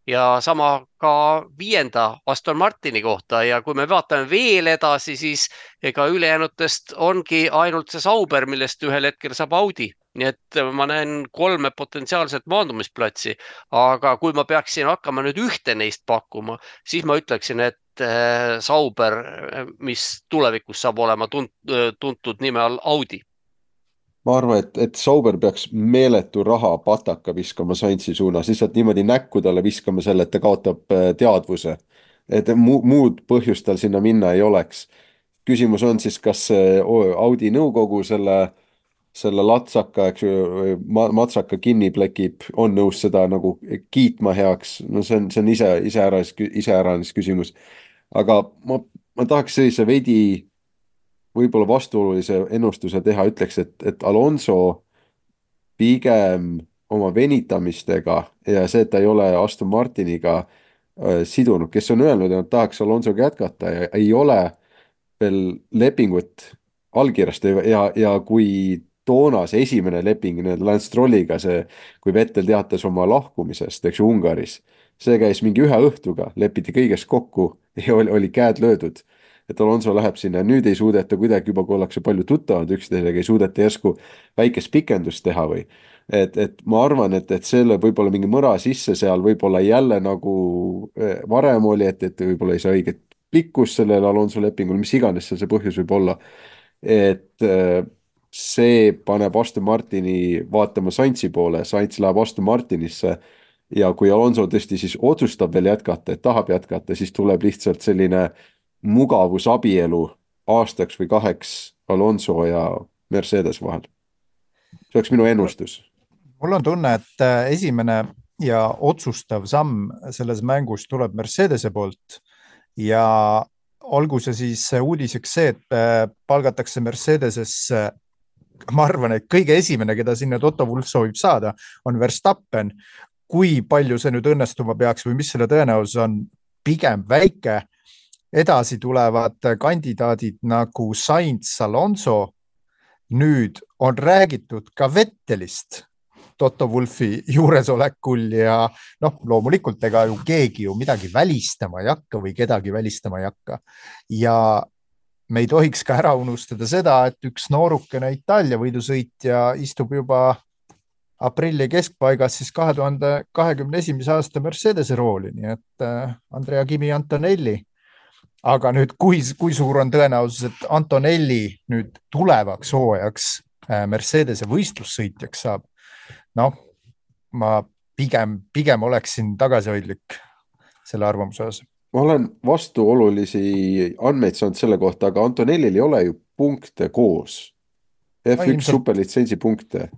ja sama ka viienda Aston Martini kohta ja kui me vaatame veel edasi, siis ega ülejäänutest ongi ainult see Sauber, millest ühel hetkel saab Audi. Nii et ma näen kolme potentsiaalset maandumisplatsi, aga kui ma peaksin hakkama nüüd ühte neist pakkuma, siis ma ütleksin, et Sauber, mis tulevikus saab olema tuntud nime all Audi. Ma arvan, et, et Sauber peaks meeletu raha pataka viskama Sainzi suunas, lihtsalt niimoodi näkku talle viskama selle, et ta kaotab teadvuse. Et mu, muud põhjust tal sinna minna ei oleks. Küsimus on siis, kas Audi nõukogu selle, selle latsaka, eks ju, matsaka kinni plekib, on nõus seda nagu kiitma heaks. No see on, see on ise, ise ära, ise ära küsimus. Aga ma, ma tahaks sellise veidi võib-olla vastuolulise ennustuse teha, ütleks, et, et Alonso pigem oma venitamistega ja see, et ta ei ole Aston Martiniga äh, sidunud, kes on öelnud, et tahaks Alonsoga jätkata ja ei ole veel lepingut allkirjast ja, ja kui toona see esimene leping Lance Strolliga, see, kui Vettel teatas oma lahkumisest, eks ju, Ungaris, see käis mingi ühe õhtuga, lepiti kõigest kokku ja oli, oli käed löödud. Et Alonso läheb sinna, nüüd ei suudeta kuidagi juba, kui ollakse palju tuttavad üksteisega, ei suudeta järsku väikest pikendust teha või. Et, et ma arvan, et, et selle võib-olla mingi mõra sisse seal võib-olla jälle nagu varem oli, et, et võib-olla ei saa õiget pikkus sellele Alonso lepingul, mis iganes seal see põhjus võib olla. Et see paneb Aston Martini vaatama Sainzi poole, Sainz läheb Aston Martinisse ja kui Alonso tõesti siis otsustab veel jätkata, et tahab jätkata, siis tuleb lihtsalt selline mugavusabielu aastaks või kaheks Alonso ja Mercedes vahel. See oleks minu ennustus. Mul on tunne, et esimene ja otsustav samm selles mängus tuleb Mercedese poolt ja olgu see siis uudiseks see, et palgatakse Mercedesesse, ma arvan, et kõige esimene, keda sinna Toto Wolff soovib saada, on Verstappen. Kui palju see nüüd õnnestuma peaks või mis selle tõenäosus on, pigem väike. Edasi tulevad kandidaadid nagu Sainz, Alonso. Nüüd on räägitud ka Vettelist Toto Wolffi juuresolekul ja noh, loomulikult ega ju keegi ju midagi välistama ei hakka või kedagi välistama ei hakka. Ja me ei tohiks ka ära unustada seda, et üks noorukene Itaalia võidusõitja istub juba aprilli keskpaigas siis kahe tuhande kahekümne esimese aasta Mercedese rooli, nii et Andrea Kimi Antonelli aga nüüd, kui, kui suur on tõenäosus, et Antonelli nüüd tulevaks hooajaks Mercedese võistlussõitjaks saab? Noh, ma pigem, pigem oleksin tagasihoidlik selle arvamuse osas. Ma olen vastuolulisi andmeid saanud selle kohta, aga Antonellil ei ole ju punkte koos. F üks no, ilmselt, superlitsentsi punkte.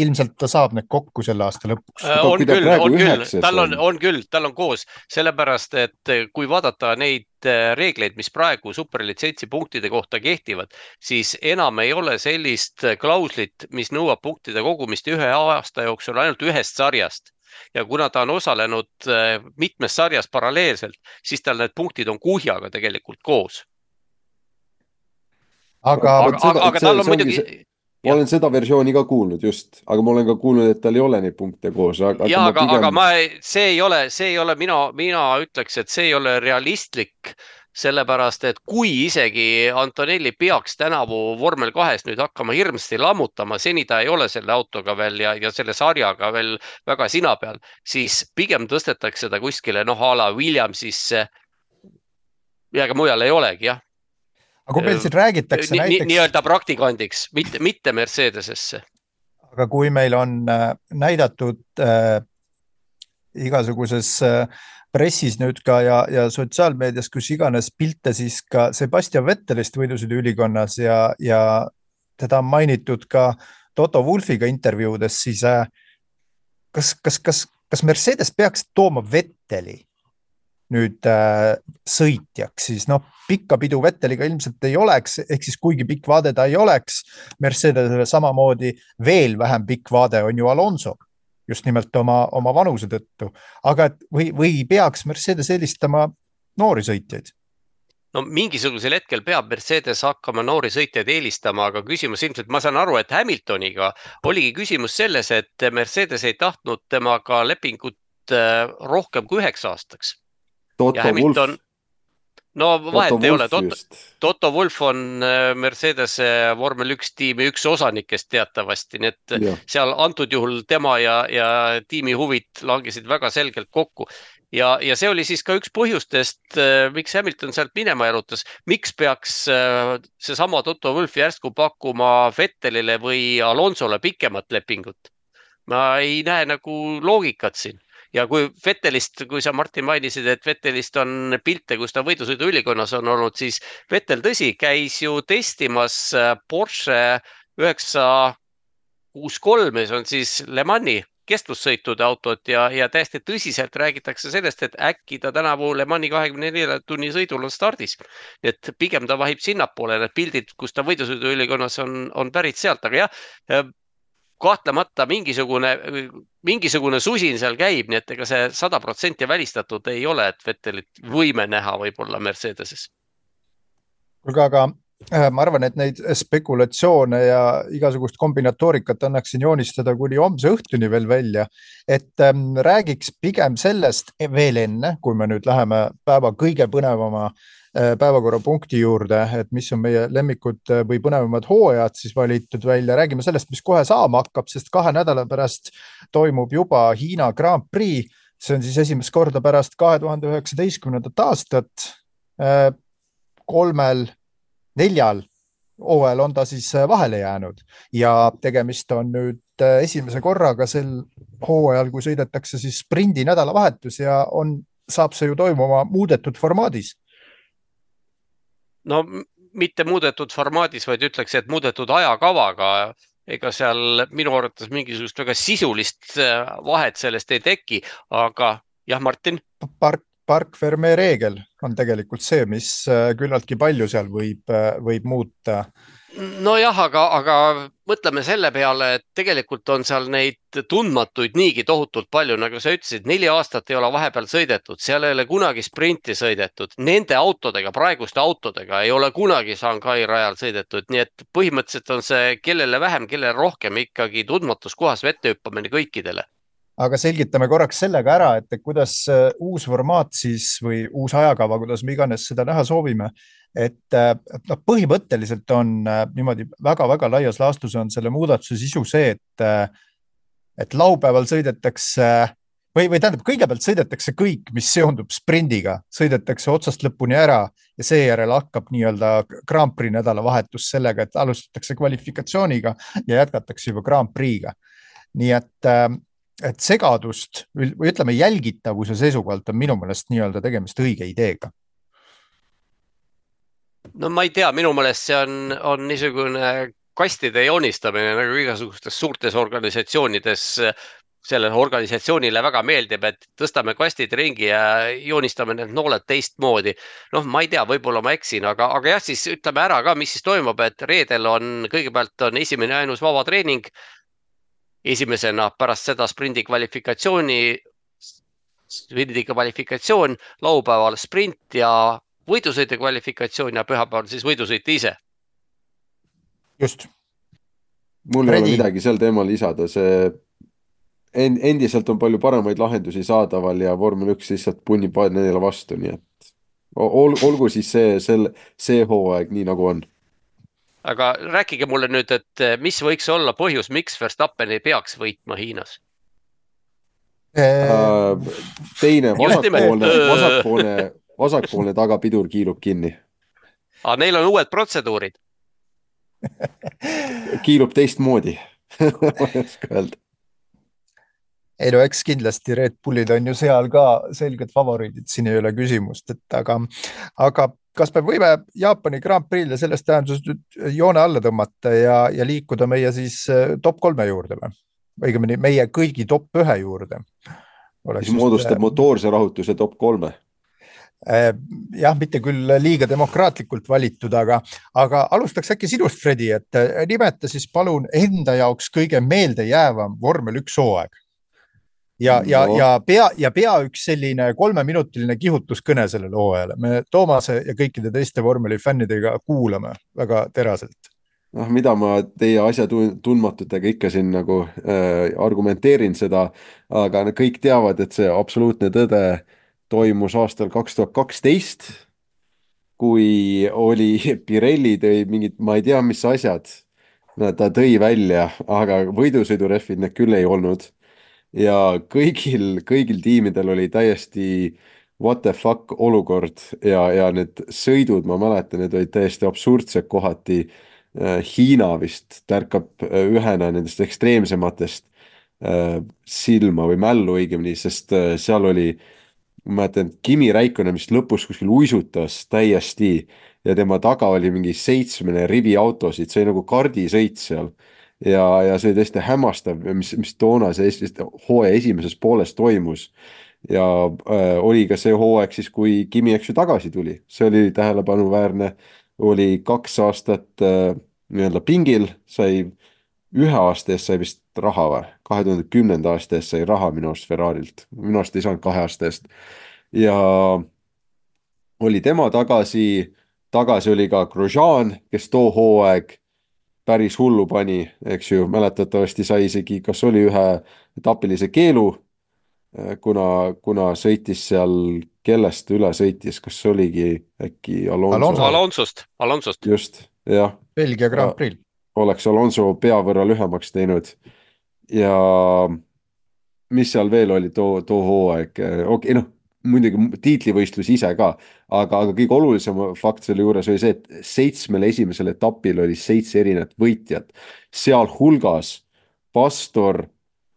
Ilmselt ta saab need kokku selle aasta lõpuks. Äh, on küll, on küll, tal on, on küll, tal on koos, sellepärast, et kui vaadata neid reegleid, mis praegu superlitsentsi punktide kohta kehtivad, siis enam ei ole sellist klauslit, mis nõuab punktide kogumist ühe aasta jooksul ainult ühest sarjast. Ja kuna ta on osalenud mitmes sarjas paralleelselt, siis tal need punktid on kuhjaga tegelikult koos. Aga, aga, aga, aga tal on muidugi... See... Ma olen seda versiooni ka kuulnud just, aga ma olen ka kuulnud, et tal ei ole neid punkte koos. Aga, ja, aga, aga, pigem... aga ma, see ei ole, see ei ole, mina, mina ütleks, et see ei ole realistlik, sellepärast, et kui isegi Antonelli peaks tänavu vormel kahes nüüd hakkama hirmsasti lammutama, seni ta ei ole selle autoga veel ja, ja selle sarjaga veel väga sina peal, siis pigem tõstetakse seda kuskile, noh, a la Williamsisse ja ka mujal ei olegi, jah. Aga kui meil siin räägitakse ni, näiteks... Nii-öelda praktikandiks, mitte, mitte Mercedesesse. Aga kui meil on näidatud äh, igasuguses äh, pressis nüüd ka ja, ja sotsiaalmeedias, kus iganes pilte, siis ka Sebastian Vettelist võidusõiduülikonnas ja, ja teda on mainitud ka Toto Wolfiga intervjuudes, siis äh, kas, kas, kas, kas Mercedes peaks tooma Vetteli nüüd äh, sõitjaks, siis noh, pikka pidu Vetteliga ilmselt ei oleks, ehk siis kuigi pikk vaade ta ei oleks, Mercedesele samamoodi veel vähem pikk vaade on ju Alonso, just nimelt oma, oma vanuse tõttu, aga või, või peaks Mercedes eelistama noori sõitjaid? No mingisugusel hetkel peab Mercedes hakkama noori sõitjaid eelistama, aga küsimus ilmselt, ma saan aru, et Hamiltoniga oligi küsimus selles, et Mercedes ei tahtnud temaga lepingut rohkem kui üheks aastaks. Toto Hamilton... Wolf. No vahet Toto ei ole. Toto, Toto Wolf on Mercedes vormel üks tiimi üks osanikest teatavasti, nii et ja. Seal antud juhul tema ja, ja tiimi huvid langesid väga selgelt kokku. Ja, ja see oli siis ka üks põhjustest, miks Hamilton sealt minema jalutas. Miks peaks see sama Toto Wolf järsku pakkuma Vettelile või Alonsole pikemat lepingut? Ma ei näe nagu loogikat siin. Ja kui Vettelist, kui sa Martin mainisid, et Vettelist on pilte, kus ta võidusõidu ülikonnas on olnud, siis Vettel tõsi käis ju testimas Porsche üheksa kuus kolm, see on siis Le Mani kestvussõitude autot ja, ja täiesti tõsiselt räägitakse sellest, et äkki ta tänavu Le Mani kahekümne nelja tunni sõidul on stardis. Et pigem ta vahib sinnapoole, need pildid, kus ta võidusõidu ülikonnas on, on pärit sealt, aga jah, kahtlemata mingisugune, mingisugune susin seal käib, nii et ega see sada protsenti välistatud ei ole, et Vettelit võime näha võib-olla Mercedeses. Kuulge, aga ma arvan, et neid spekulatsioone ja igasugust kombinatoorikat annaksin joonistada kuni homse õhtuni veel välja, et ähm, räägiks pigem sellest veel enne, kui me nüüd läheme päeva kõige põnevama päevakorrapunkti juurde, et mis on meie lemmikud või põnevamad hooajad siis valitud välja. Räägime sellest, mis kohe saama hakkab, sest kahe nädala pärast toimub juba Hiina Grand Prix. See on siis esimest korda pärast kahe tuhande üheksateistkümnendat aastat. Kolmel, neljal hooajal on ta siis vahele jäänud ja tegemist on nüüd esimese korraga sel hooajal, kui sõidetakse siis sprindi nädalavahetus ja on, saab see ju toimuma muudetud formaadis. No mitte muudetud formaadis, vaid ütleks, et muudetud ajakavaga, ega seal minu arvates mingisugust väga sisulist vahet sellest ei teki, aga jah, Martin? Park, park ferme reegel on tegelikult see, mis küllaltki palju seal võib, võib muuta. No jah, aga, aga mõtleme selle peale, et tegelikult on seal neid tundmatuid niigi tohutult palju, nagu sa ütlesid, neli aastat ei ole vahepeal sõidetud, seal ei ole kunagi sprinti sõidetud, nende autodega, praeguste autodega ei ole kunagi Shanghai rajal sõidetud, nii et põhimõtteliselt on see kellele vähem, kellele rohkem ikkagi tundmatus kohas vette hüppamine kõikidele. Aga selgitame korraks sellega ära, et kuidas uus formaat siis või uus ajakava, kuidas me iganes seda näha soovime, et no, põhimõtteliselt on niimoodi väga-väga laias laastus on selle muudatuse sisu see, et, et laupäeval sõidetakse või, või tähendab, kõigepealt sõidetakse kõik, mis seondub sprindiga, sõidetakse otsast lõpuni ära ja seejärel hakkab nii-öelda Grand Prix nädalavahetus sellega, et alustatakse kvalifikatsiooniga ja jätkatakse juba Grand Prix'ga. Nii et, et segadust või ütleme jälgitavuse seisukohalt on minu meelest nii-öelda tegemist õige ideega. No ma ei tea, minu meelest see on, on niisugune kastide joonistamine nagu igasugustes suurtes organisatsioonides. Sellele organisatsioonile väga meeldib, et tõstame kastid ringi ja joonistame need nooled teistmoodi. Noh, ma ei tea, võib-olla ma eksin, aga, aga jah, siis ütleme ära ka, mis siis toimub, et reedel on, kõigepealt on esimene ainus vaba treening. Esimesena pärast seda sprindi kvalifikatsiooni, sprindi kvalifikatsioon, laupäeval sprint ja võidusõite kvalifikatsioon ja pühapäeval siis võidusõite ise. Just. Mul ei ole midagi sel teemal lisada, see endiselt on palju paremaid lahendusi saadaval ja vormel üks lihtsalt punnib neile vastu, nii et ol, olgu siis see, selle, see hooaeg nii nagu on. Aga rääkige mulle nüüd, et mis võiks olla põhjus, miks Verstappen ei peaks võitma Hiinas? Äh, teine vasakpoolne, vasakpoolne, vasakpoolne tagapidur kiilub kinni. Aga neil on uued protseduurid. Kiilub teistmoodi. Ma ei oska öelda. Ei no eks kindlasti Red Bullid on ju seal ka selged favoriidid, siin ei ole küsimust, et aga, aga kas me võime Jaapani Grand Prix'le sellest tähenduses nüüd joone alla tõmmata ja, ja liikuda meie siis top kolme juurde või? Õigemini meie kõigi top ühe juurde. Oleks siis moodustab just, motoorse rahutuse top kolme. Jah, mitte küll liiga demokraatlikult valitud, aga, aga alustaks äkki sinust, Fredi, et nimeta siis palun enda jaoks kõige meelde jäävam vormel üks hooaeg. Ja, ja, no. ja, pea, ja pea üks selline kolmeminutiline kihutuskõne sellele hooajale. Me Toomase ja kõikide teiste vormeli fännidega kuulame väga teraselt. noh, mida ma teie asja tundmatutega ikka siin nagu äh, argumenteerin seda, aga kõik teavad, et see absoluutne tõde toimus aastal kaks tuhat kaksteist, kui oli Pirelli tõi mingid, ma ei tea, mis asjad ta tõi välja, aga võidusõidurehvid need küll ei olnud. Ja kõigil, kõigil tiimidel oli täiesti what the fuck olukord ja, ja need sõidud, ma mäletan, need olid täiesti absurdsed kohati. Hiina vist tärkab ühena nendest ekstreemsematest silma või mällu õigemini, sest seal oli, ma mäletan, Kimi Räikkönen, mis lõpus kuskil uisutas täiesti ja tema taga oli mingi seitsmene rivi autosid, see oli nagu kardisõit seal ja, ja see oli tõesti hämmastav, mis, mis toona see hooaja esimeses pooles toimus ja äh, oli ka see hooaeg siis, kui Kimi eks ju tagasi tuli, see oli tähelepanuväärne, oli kaks aastat äh, nii-öelda pingil, sai ühe aasta eest sai vist raha või? kahe tuhande kümnenda aasta eest sai raha minu arust Ferrarilt, minu arust ei saanud kahe aasta eest ja oli tema tagasi, tagasi oli ka Grosjean, kes too hooaeg päris hullu pani, eks ju, mäletatavasti sai isegi, kas oli ühe etapilise keelu, kuna, kuna sõitis seal, kellest üle sõitis, kas oligi äkki Alonso? Alonso. Alonsost, Alonsost. Just, jah. Belgia Grand Prix. Oleks Alonso pea võrra lühemaks teinud ja mis seal veel oli too, too hooaeg, okei, okay, noh, muidugi tiitlivõistlus ise ka, aga, aga kõige olulisem fakt selle juures oli see, et seitsmel esimesel etapil oli seitse erinevat võitjat, seal hulgas Pastor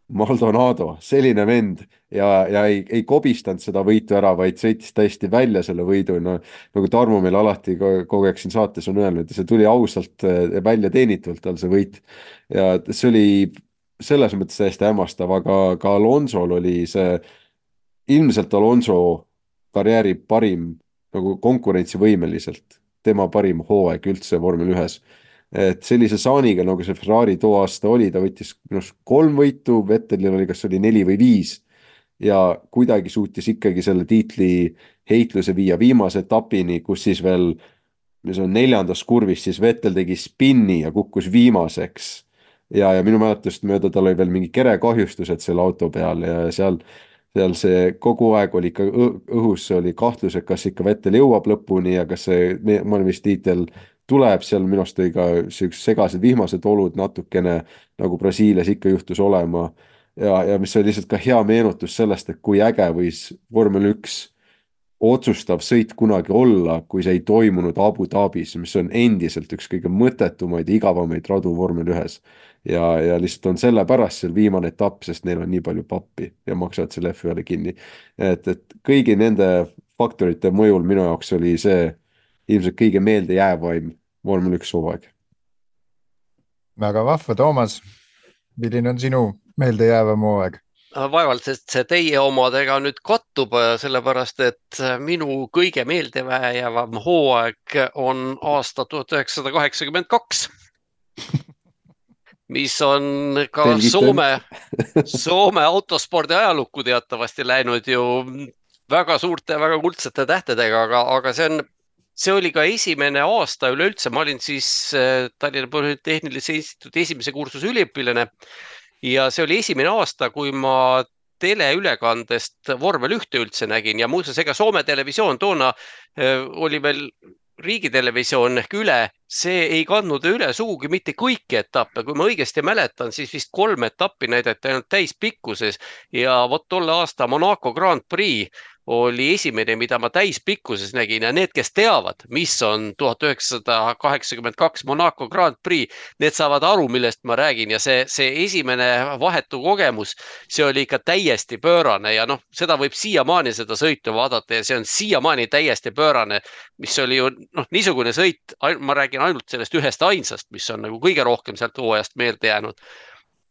Maldonado, selline vend ja, ja ei, ei kobistanud seda võitu ära, vaid sõitis täiesti välja selle võidu, no, nagu Tarmo meil alati kogu aeg siin saates on öelnud, see tuli ausalt välja teenitult tal see võit ja see oli selles mõttes täiesti hämmastav, aga ka Alonsol oli see ilmselt Alonso karjääri parim nagu konkurentsivõimeliselt, tema parim hooaeg üldse vormel ühes. Et sellise saaniga, nagu see Ferrari too aasta oli, ta võttis minust kolm võitu, Vettelil oli kas oli neli või viis ja kuidagi suutis ikkagi selle tiitli heitluse viia viimase etapini, kus siis veel, mis on neljandas kurvis, siis Vettel tegi spinni ja kukkus viimaseks ja, ja minu mäletust mööda tal oli veel mingi kerekahjustused selle auto peal ja seal seal see kogu aeg oli ikka õhus, oli kahtlus, et kas ikka Vettel jõuab lõpuni ja kas see maailmameistritiitel tuleb, seal minu arust oli ka sellised segased vihmased olud natukene, nagu Brasiilias ikka juhtus olema, ja, ja mis oli lihtsalt ka hea meenutus sellest, et kui äge võis vormel üks otsustav sõit kunagi olla, kui see ei toimunud Abu Dhabis, mis on endiselt üks kõige mõttetumaid, igavamaid radu vormel ühes. ja, ja lihtsalt on sellepärast seal viimane etapp, sest neil on nii palju pappi ja maksavad selle F ühele kinni. et, et kõigi nende faktorite mõjul minu jaoks oli see ilmselt kõige meeldejäävaim vormel üks hooaeg. Väga vahva, Toomas. Milline on sinu meeldejäävam hooaeg? Vaevalt, sest see teie omadega nüüd kattub, sellepärast et minu kõige meeldejäävam hooaeg on aasta tuhat üheksasada kaheksakümmend kaks, mis on ka Belgit Soome, Soome autospordi ajalukku teatavasti läinud ju väga suurte, väga kuldsete tähtedega, aga, aga see on See oli ka esimene aasta üleüldse. Ma olin siis Tallinna Polütehnilise Instituudi esimese kursuse üliõpilane ja see oli esimene aasta, kui ma teleülekandest vormel ühte üldse nägin ja muuseas ega Soome televisioon toona oli veel riigitelevisioon ehk üle, see ei kandnud üle sugugi mitte kõiki etappe. Kui ma õigesti mäletan, siis vist kolm etappi näidati ainult täispikkuses ja vot tolle aasta Monaco Grand Prix oli esimene, mida ma täispikkuses nägin ja need, kes teavad, mis on tuhat üheksasada kaheksakümmend kaks Monaco Grand Prix, need saavad aru, millest ma räägin ja see, see esimene vahetu kogemus, see oli ikka täiesti pöörane ja noh, seda võib siiamaani seda sõitu vaadata ja see on siiamaani täiesti pöörane, mis oli ju noh, niisugune sõit, ma räägin ainult sellest ühest ainsast, mis on nagu kõige rohkem sealt hooajast meelde jäänud,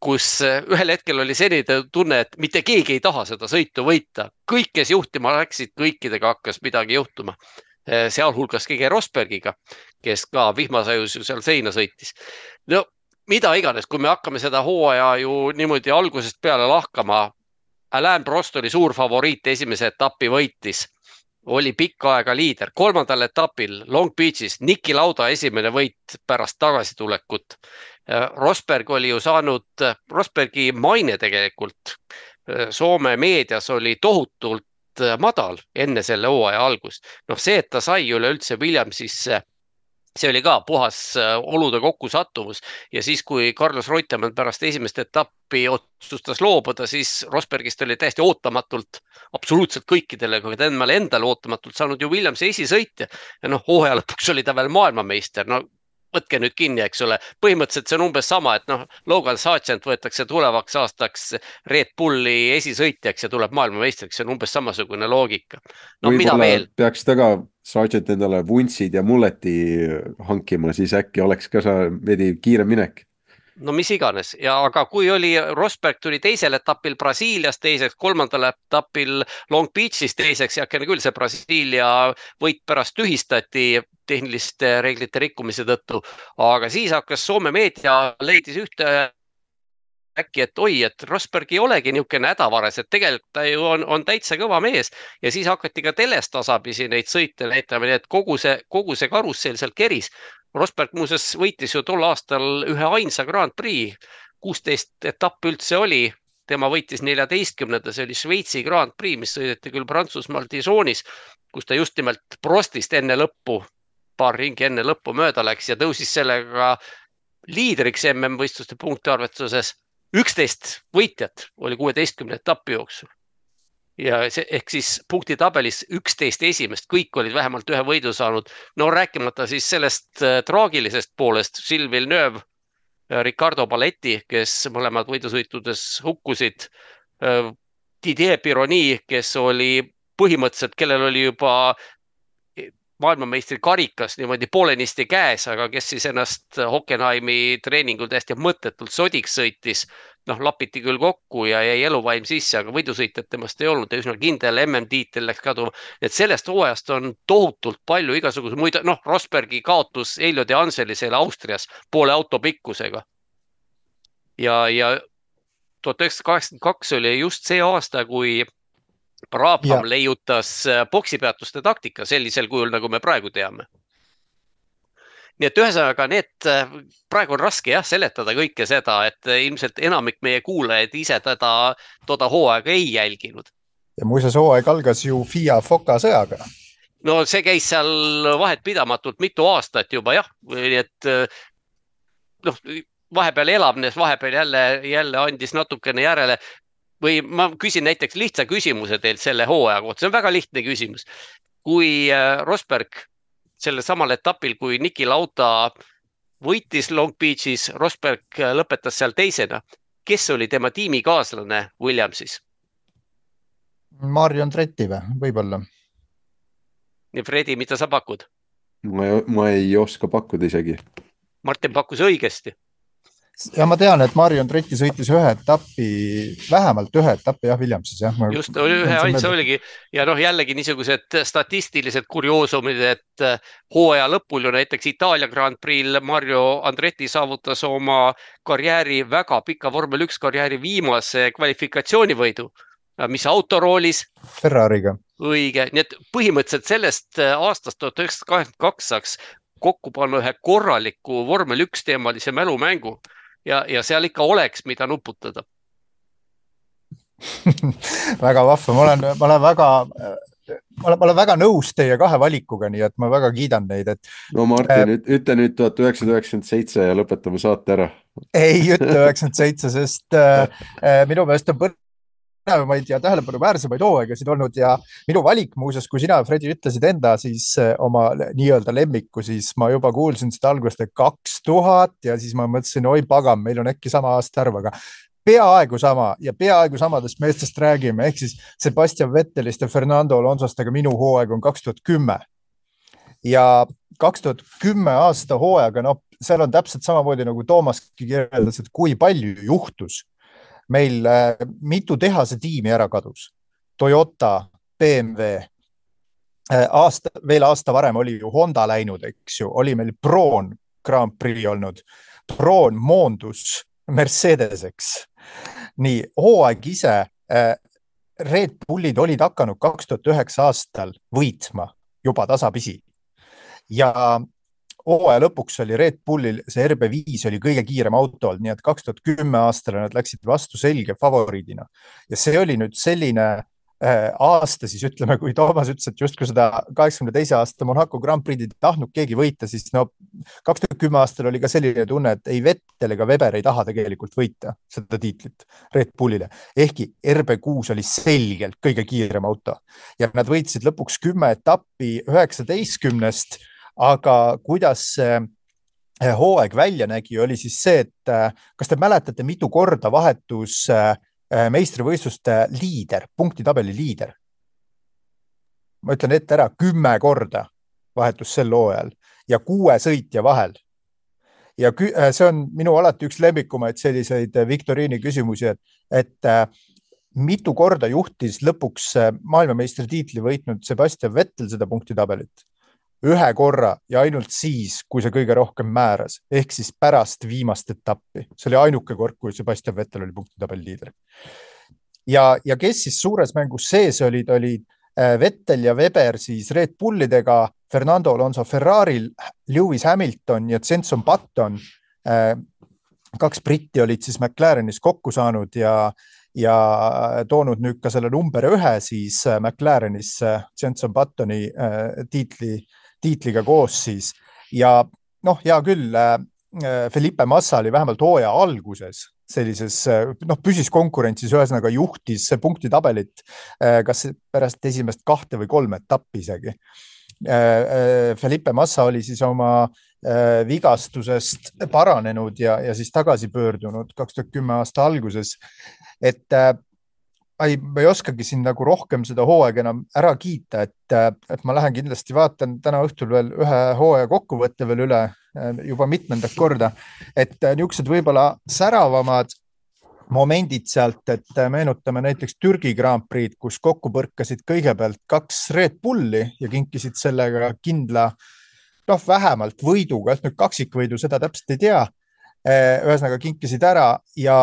kus ühel hetkel oli selline tunne, et mitte keegi ei taha seda sõitu võita. Kõik, kes juhtima läksid, kõikidega hakkas midagi juhtuma. Sealhulgas Keke Rosbergiga, kes ka vihmasajus ju seal seina sõitis. No mida iganes, kui me hakkame seda hooaja ju niimoodi algusest peale lahkama. Alain Prost oli suur favoriit, esimese etappi võitis. Oli pikka aega liider. Kolmandal etapil Long Beachis Niki Lauda esimene võit pärast tagasitulekut. Rosberg oli ju saanud, Rosbergi maine tegelikult Soome meedias oli tohutult madal enne selle hooaja algust. Noh see, et ta sai üleüldse Williamsisse, see oli ka puhas olude kokkusattumus ja siis, kui Carlos Reutemann pärast esimest etappi otsustas loobuda, siis Rosbergist oli täiesti ootamatult, absoluutselt kõikidele, kui ta endale ootamatult saanud ju Williamsi esisõitja ja noh, hooaja lõpuks oli ta veel maailmameister, no võtke nüüd kinni, eks ole. Põhimõtteliselt see on umbes sama, et noh, Logan Sargent võetakse tulevaks aastaks Red Bulli esisõitjaks ja tuleb maailmameistriks. See on umbes samasugune loogika. No, mida veel? Peaks taga Sargent endale vuntsid ja mulleti hankima, siis äkki oleks ka sa veidi kiire minek. No mis iganes, ja aga kui oli Rosberg tuli teisel etapil Brasiilias teiseks, kolmandal etapil Long Beachis teiseks ja küll see Brasiilia võit pärast tühistati tehniliste reeglite rikkumise tõttu, aga siis hakkas Soome meedia leidis ühte äkki, et oi, et Rosberg ei olegi niisugune hädavares, et tegelikult ta ju on, on täitsa kõva mees ja siis hakati ka telest tasapisi neid sõite näitama, nii et kogu see, kogu see karussell seal keris. Rosberg muuseas võitis ju tol aastal ühe ainsa Grand Prix, kuusteist etapp üldse oli, tema võitis neljateistkümnenda, see oli Šveitsi Grand Prix, mis sõideti küll Prantsusmaal Dijonis, kus ta just nimelt Prostist enne lõppu, paar ringi enne lõppu mööda läks ja tõusis sellega liidriks M M-võistluste punktiarvestuses. üksteist võitjat oli kuueteistkümne etapi jooksul. Ja see, ehk siis punktitabelis üksteist esimest, kõik olid vähemalt ühe võidu saanud. No rääkimata siis sellest traagilisest poolest, Gilles Villeneuve, Ricardo Paletti, kes mõlemad võidusõitudes hukkusid, Didier Pironi, kes oli põhimõtteliselt, kellel oli juba maailmameistri karikas niimoodi poolenisti käes, aga kes siis ennast Hockenheimi treeningul täiesti mõttetult sodiks sõitis, noh lapiti küll kokku ja jäi eluvaim sisse, aga võidusõitjad temast ei olnud, üsna kindel M M-tiitel läks kaduma. Et sellest hooajast on tohutult palju igasuguse muid, noh Rosbergi kaotus Elio de Angelisele Austrias poole auto pikkusega. Ja, ja tuhat üheksasada kaheksakümmend kaks oli just see aasta, kui Brabham ja. leiutas boksipeatuste taktika sellisel kujul, nagu me praegu teame. Nii et ühesõnaga need, praegu on raske jah seletada kõike seda, et ilmselt enamik meie kuulajaid ise teda toda hooaega ei jälginud. Ja muuseas hooaeg algas ju F I A Foka sõjaga. No see käis seal vahet pidamatult mitu aastat juba jah, nii et noh, vahepeal elavnes, vahepeal jälle, jälle andis natukene järele. Või ma küsin näiteks lihtsa küsimuse teilt selle hooaja kohta. See on väga lihtne küsimus. Kui Rosberg selle samal etapil, kui Niki Lauda võitis Long Beachis, Rosberg lõpetas seal teisena. Kes oli tema tiimikaaslane Williamsis? Mario Andretti või? Võibolla. Nii, Fredi, mida sa pakud? Ma ei, ma ei oska pakkuda isegi. Martin pakkus õigesti. Ja ma tean, et Mario Andretti sõitis ühe etappi, vähemalt ühe etappi jah, Williamsis. Jah. Ma just, ühe ainsa oligi. Ja noh, jällegi niisugused statistilised kurioosumid, et hooaja lõpul ju näiteks Itaalia Grand Prix Mario Andretti saavutas oma karjääri, väga pika vormel üks karjääri viimase kvalifikatsioonivõidu, mis autoroolis? Ferrariga. Õige, nii et põhimõtteliselt sellest aastast tuhat üheksasada kaheksakümmend kaks saaks kokku panna ühe korraliku vormel üks teemalise mälumängu. Ja, ja seal ikka oleks, mida nuputada. väga vahva. Ma olen, ma olen väga, ma olen, ma olen väga nõus teie kahe valikuga, nii et ma väga kiidan neid. Et, no Martin, äh, ütle nüüd tuhat üheksasada üheksakümmend seitse ja lõpetame saate ära. Ei ütle üheksakümmend seitse, sest äh, minu meelest on põr- Näemaid ja tähelepanu väärsemaid hooaegasid olnud ja minu valik muuseas, kui sina, Fredi, ütlesid enda siis oma nii-öelda lemmiku, siis ma juba kuulsin seda algust, et kaks tuhat ja siis ma mõtlesin, oi pagam, meil on äkki sama aasta arv, aga peaaegu sama ja peaaegu samadest meestest räägime, ehk siis Sebastian Vettelist ja Fernando Alonsost, aga minu hooaeg on kaks tuhat kümme. Ja kaks tuhat kümme aasta hooaega, no seal on täpselt samamoodi nagu Toomaski kirjeldas, et kui palju juhtus. Meil äh, mitu tehase tiimi ära kadus. Toyota, B M W, äh, aasta, veel aasta varem oli ju Honda läinud, eks ju, oli meil Braun Grand Prix olnud. Braun moondus Mercedeseks. Nii, hooaeg ise, äh, Red Bullid olid hakanud kaks tuhat üheksa aastal võitma juba tasapisi. Ja hooaja lõpuks oli Red Bullil, see R B viis oli kõige kiirem auto olnud, nii et kaks tuhat kümme aastal nad läksid vastu selge favoriidina. Ja see oli nüüd selline äh, aasta, siis ütleme, kui Toomas ütles, et just kui seda kaheksakümne teise aasta Monaco Grand Prix tahtnud keegi võita, siis no kaks tuhat kümme aastal oli ka selline tunne, et ei Vettel ega Weber ei taha tegelikult võita seda tiitlit Red Bullile. Ehkki R B kuus oli selgelt kõige kiirem auto ja nad võitsid lõpuks kümme etappi üheksateistkümnest. Aga kuidas hooaeg välja nägi, oli siis see, et kas te mäletate, mitu korda vahetus meistrivõistluste liider, punktitabeli liider? Ma ütlen ette ära, kümme korda vahetus sel hooajal ja kuue sõitja vahel. Ja see on minu alati üks lemmikumaid selliseid viktoriini küsimusi, et, et mitu korda juhtis lõpuks maailmameistri tiitli võitnud Sebastian Vettel seda punktitabelit? Ühe korra ja ainult siis, kui see kõige rohkem määras, ehk siis pärast viimast etappi. See oli ainuke kord, kui Sebastian Vettel oli punktitabeli liider. Ja, ja kes siis suures mängus sees olid, olid Vettel ja Weber siis Red Bullidega, Fernando Alonso Ferraril, Lewis Hamilton ja Jenson Button. Kaks britti olid siis McLarenis kokku saanud ja, ja toonud nüüd ka selle number ühe siis McLarenis Jenson Buttoni tiitli tiitliga koos siis ja noh, hea küll, Felipe Massa oli vähemalt hooaja alguses sellises, noh, püsis konkurentsis, ühesõnaga juhtis punktitabelit, kas pärast esimest kahte või kolme etappi isegi. Felipe Massa oli siis oma vigastusest paranenud ja, ja siis tagasi pöördunud kaks tuhat kümme aasta alguses, et Ei, ma ei oskagi siin nagu rohkem seda hooaega enam ära kiita, et, et ma lähen kindlasti vaatan täna õhtul veel ühe hooaja kokkuvõtte veel üle juba mitmendat korda, et niisugused võib-olla säravamad momendid sealt, et meenutame näiteks Türgi Grand Prix, kus kokku põrkasid kõigepealt kaks Red Bulli ja kinkisid sellega kindla, noh, vähemalt võiduga, et nüüd kaksikvõidu seda täpselt ei tea, ühesõnaga kinkisid ära ja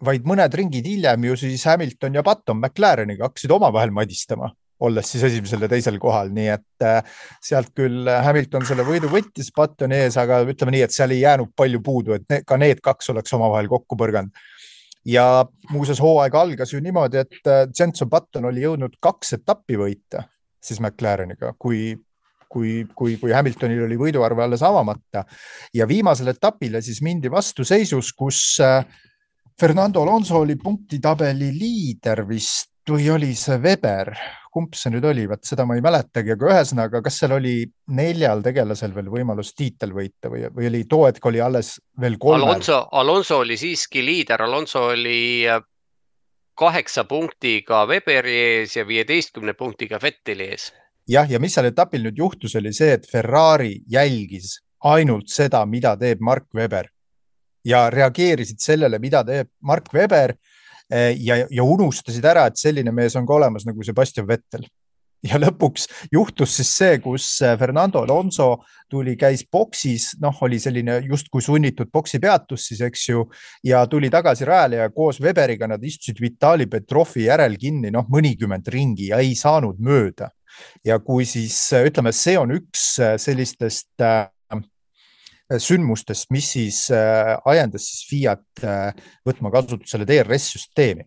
vaid mõned ringid hiljem ju siis Hamilton ja Button McLareniga hakkasid omavahel madistama, olles siis esimesel ja teisel kohal, nii et sealt küll Hamilton selle võidu võttis Buttoni ees, aga ütleme nii, et seal ei jäänud palju puudu, et ka need kaks oleks omavahel kokku põrganud. Ja muuseas hooaeg algas ju niimoodi, et Jenson Button oli jõudnud kaks etappi võita siis McLareniga, kui kui, kui, kui Hamiltonil oli võiduarve alles avamata. Ja viimasel etapile siis mindi vastu seisus, kus Fernando Alonso oli punktitabeli liider vist, või oli see Weber, kumb see nüüd oli, vaat seda ma ei mäletagi, aga ühesõnaga, kas seal oli neljal tegelasel veel võimalus tiitel võita või, või oli Toetk oli alles veel kolmel? Alonso, Alonso oli siiski liider, Alonso oli kaheksa punktiga Weberi ees ja viieteistkümne punktiga Vetteli ees. Jah, ja mis seal etapil nüüd juhtus, oli see, et Ferrari jälgis ainult seda, mida teeb Mark Webber ja reageerisid sellele, mida teeb Mark Webber ja, ja unustasid ära, et selline mees on ka olemas nagu Sebastian Vettel. Ja lõpuks juhtus siis see, kus Fernando Alonso tuli, käis boksis, noh, oli selline just kui sunnitud boksi peatus siis, eks ju, ja tuli tagasi rajale ja koos Weberiga nad istusid Vitali Petrovi järel kinni, noh, mõnikümmend ringi ja ei saanud mööda. Ja kui siis, ütleme, see on üks sellistest sündmustest, mis siis ajendas siis Fiat võtma kasutusele D R S-süsteemi.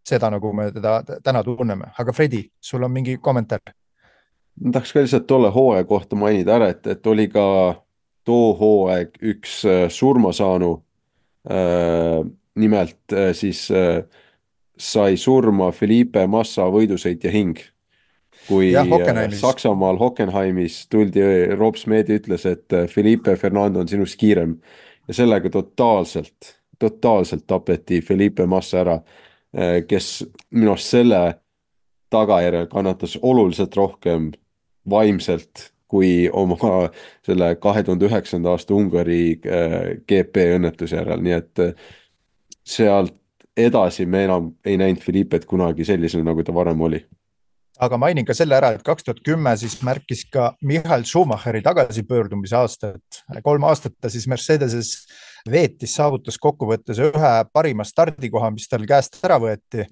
Seda nagu me teda täna tunneme. Aga Fredi, sul on mingi kommentaar? Ma tahaks ka lihtsalt tolle hooaja kohta mainida ära, et, et oli ka too hooaeg üks surmasaanu. Nimelt siis sai surma Felipe Massa võidusõitja hing. Kui ja, Saksamaal Hockenheimis tuldi, Rob Smedi ütles, et Felipe Fernando on sinust kiirem ja sellega totaalselt, totaalselt tapeti Felipe Massa ära, kes minu arust selle tagajärjel kannatas oluliselt rohkem vaimselt kui oma selle kahe tuhande üheksanda aasta Ungari G P õnnetuse järel, nii et sealt edasi me enam ei näinud Felipet kunagi sellisena, nagu ta varem oli. Aga mainin ka selle ära, et kaks tuhat kümme siis märkis ka Michael Schumacheri tagasipöördumise aastat. Kolm aastat ta siis Mercedeses veetis, saavutas kokkuvõttes ühe parima stardikoha, mis tal käest ära võeti.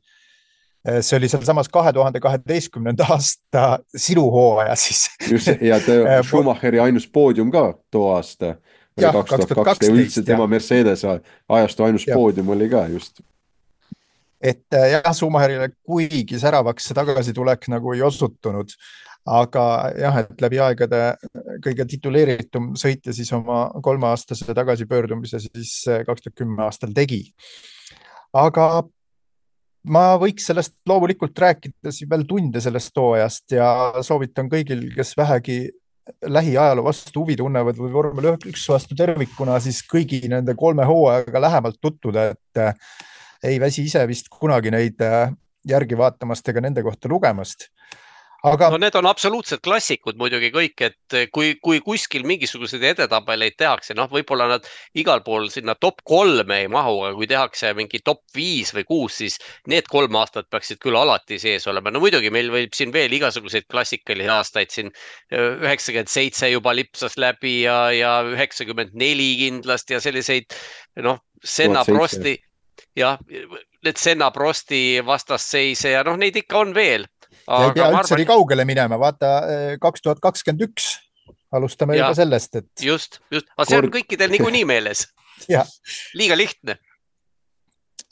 See oli seal samas kahe tuhande kaheteistkümnenda aasta sinu hooaja siis. Just, ja Schumacheri ainus poodium ka too aasta. Ja, kaks tuhat kaksteist. Ja üldse tema Mercedes ajastu ainus ja. Poodium oli ka just. Et jah, Schumacherile kuigi säravaks see tagasitulek nagu ei osutunud, aga jah, et läbi aegade kõige tituleeritum sõitja siis oma kolmeaastase tagasipöördumise siis kaks tuhat kümme aastal tegi. Aga ma võiks sellest loomulikult rääkida veel tunde sellest toojast ja soovitan kõigil, kes vähegi lähiajaloo vastu huvi tunnevad või vormel üks vastu tervikuna, siis kõigi nende kolme hooajaga lähemalt tutvuda, et ei väsi ise vist kunagi neid järgi vaatamast ega nende kohta lugemast. Aga... No need on absoluutselt klassikud muidugi kõik, et kui, kui kuskil mingisuguseid edetabeleid tehakse, noh, võib-olla nad igal pool sinna top kolme ei mahu, aga kui tehakse mingi top viis või kuus, siis need kolm aastat peaksid küll alati sees olema. No muidugi meil võib siin veel igasuguseid klassikalisi aastaid, siin üheksakümmend seitse juba lipsas läbi ja, ja üheksakümmend neli kindlasti ja selliseid, noh, Senna Prosti ja need Senna Prosti vastasseise ja noh, neid ikka on veel. Aga ei pea üldse arvan... nii kaugele minema, vaata kaks tuhat kakskümmend üks alustame ja, juba sellest, et... Just, just, aga see on kõikidel niikuinii meeles. Liiga lihtne.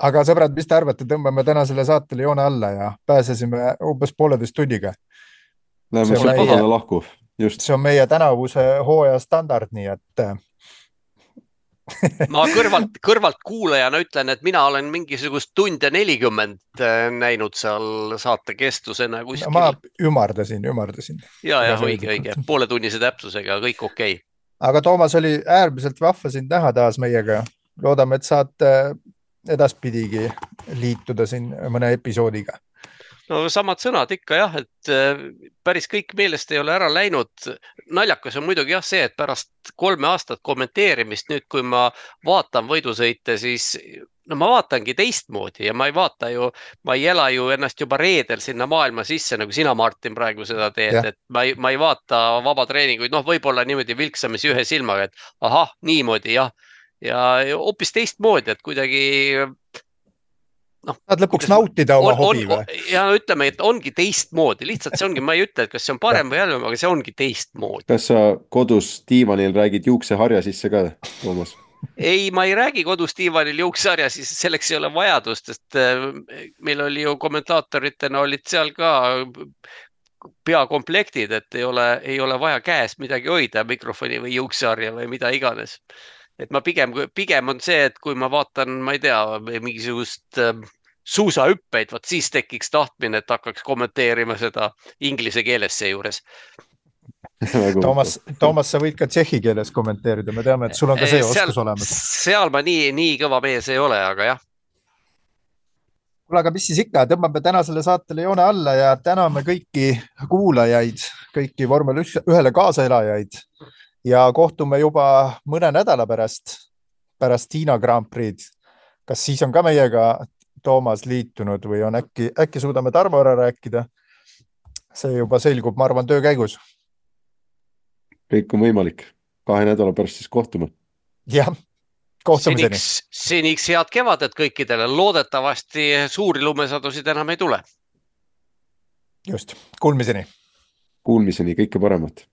Aga sõbrad, mis te arvate, tõmbame täna selle saatele joone alla ja pääsesime umbes pooleteist tunniga. Läheme see pahale lahku, just. See on meie tänavuse hooaja standard, nii et... Ma kõrvalt, kõrvalt kuulajana ütlen, et mina olen mingisugust tunde nelikümmend näinud seal saate kestusena kuskil. No, ma ümardasin, ümardasin. Ja, ja, õige, õige. Poole tunnise täpsusega, kõik okei. Okay. Aga Toomas, oli äärmiselt vahva sind näha taas meiega. Loodame, et saad edaspidigi liituda siin mõne episoodiga. No samad sõnad ikka jah, et päris kõik meelest ei ole ära läinud. Naljakas on muidugi jah see, et pärast kolme aastat kommenteerimist nüüd, kui ma vaatan võidusõite, siis no ma vaatangi teistmoodi ja ma ei vaata ju, ma ei ela ju ennast juba reedel sinna maailma sisse, nagu sina, Martin, praegu seda teed, ja. Et ma ei, ma ei vaata vaba treeninguid, noh, võib-olla niimoodi vilksamisi ühe silmaga, et ahah, niimoodi jah, ja hoopis teistmoodi, et kuidagi... No, saad lõpuks nautida oma on, hobi või? Ja ütleme, et ongi teistmoodi. Lihtsalt see ongi, ma ei ütle, et kas see on parem või jällem, aga see ongi teistmoodi. Kas sa kodus diivanil räägid juukseharja sisse ka, Toomas? Ei, ma ei räägi kodus diivanil juukseharja, siis selleks ei ole vajadust, sest meil oli ju kommentaatoritena olid seal ka peakomplektid, et ei ole, ei ole vaja käes midagi hoida, mikrofoni või juukseharja või mida iganes. Et ma pigem, pigem on see, et kui ma vaatan, ma ei tea, mingisugust suusahüppeid, vaat siis tekiks tahtmine, et hakkaks kommenteerima seda inglise keeles seejuures. Toomas, Toomas, sa võid ka tšehhi keeles kommenteerida, me teame, et sul on ka see seal, oskus olemas. Seal ma nii, nii kõva mees ei ole, aga jah. Kuule, aga mis siis ikka, tõmbame tänasele saatele joone alla ja täname kõiki kuulajaid, kõiki vormel ühele kaasaelajaid ja kohtume juba mõne nädala pärast, pärast Hiina Grand Prix'd. Kas siis on ka meiega Toomas liitunud või on äkki, äkki suudame Tarmo ära rääkida? See juba selgub, ma arvan, töö käigus. Kõik on võimalik. Kahe nädala pärast siis kohtume. Jah. Kohtumiseni. Seniks, seniks head kevadet kõikidele. Loodetavasti suuri lumesadusid enam ei tule. Just. Kuulmiseni. Kuulmiseni kõike paremat.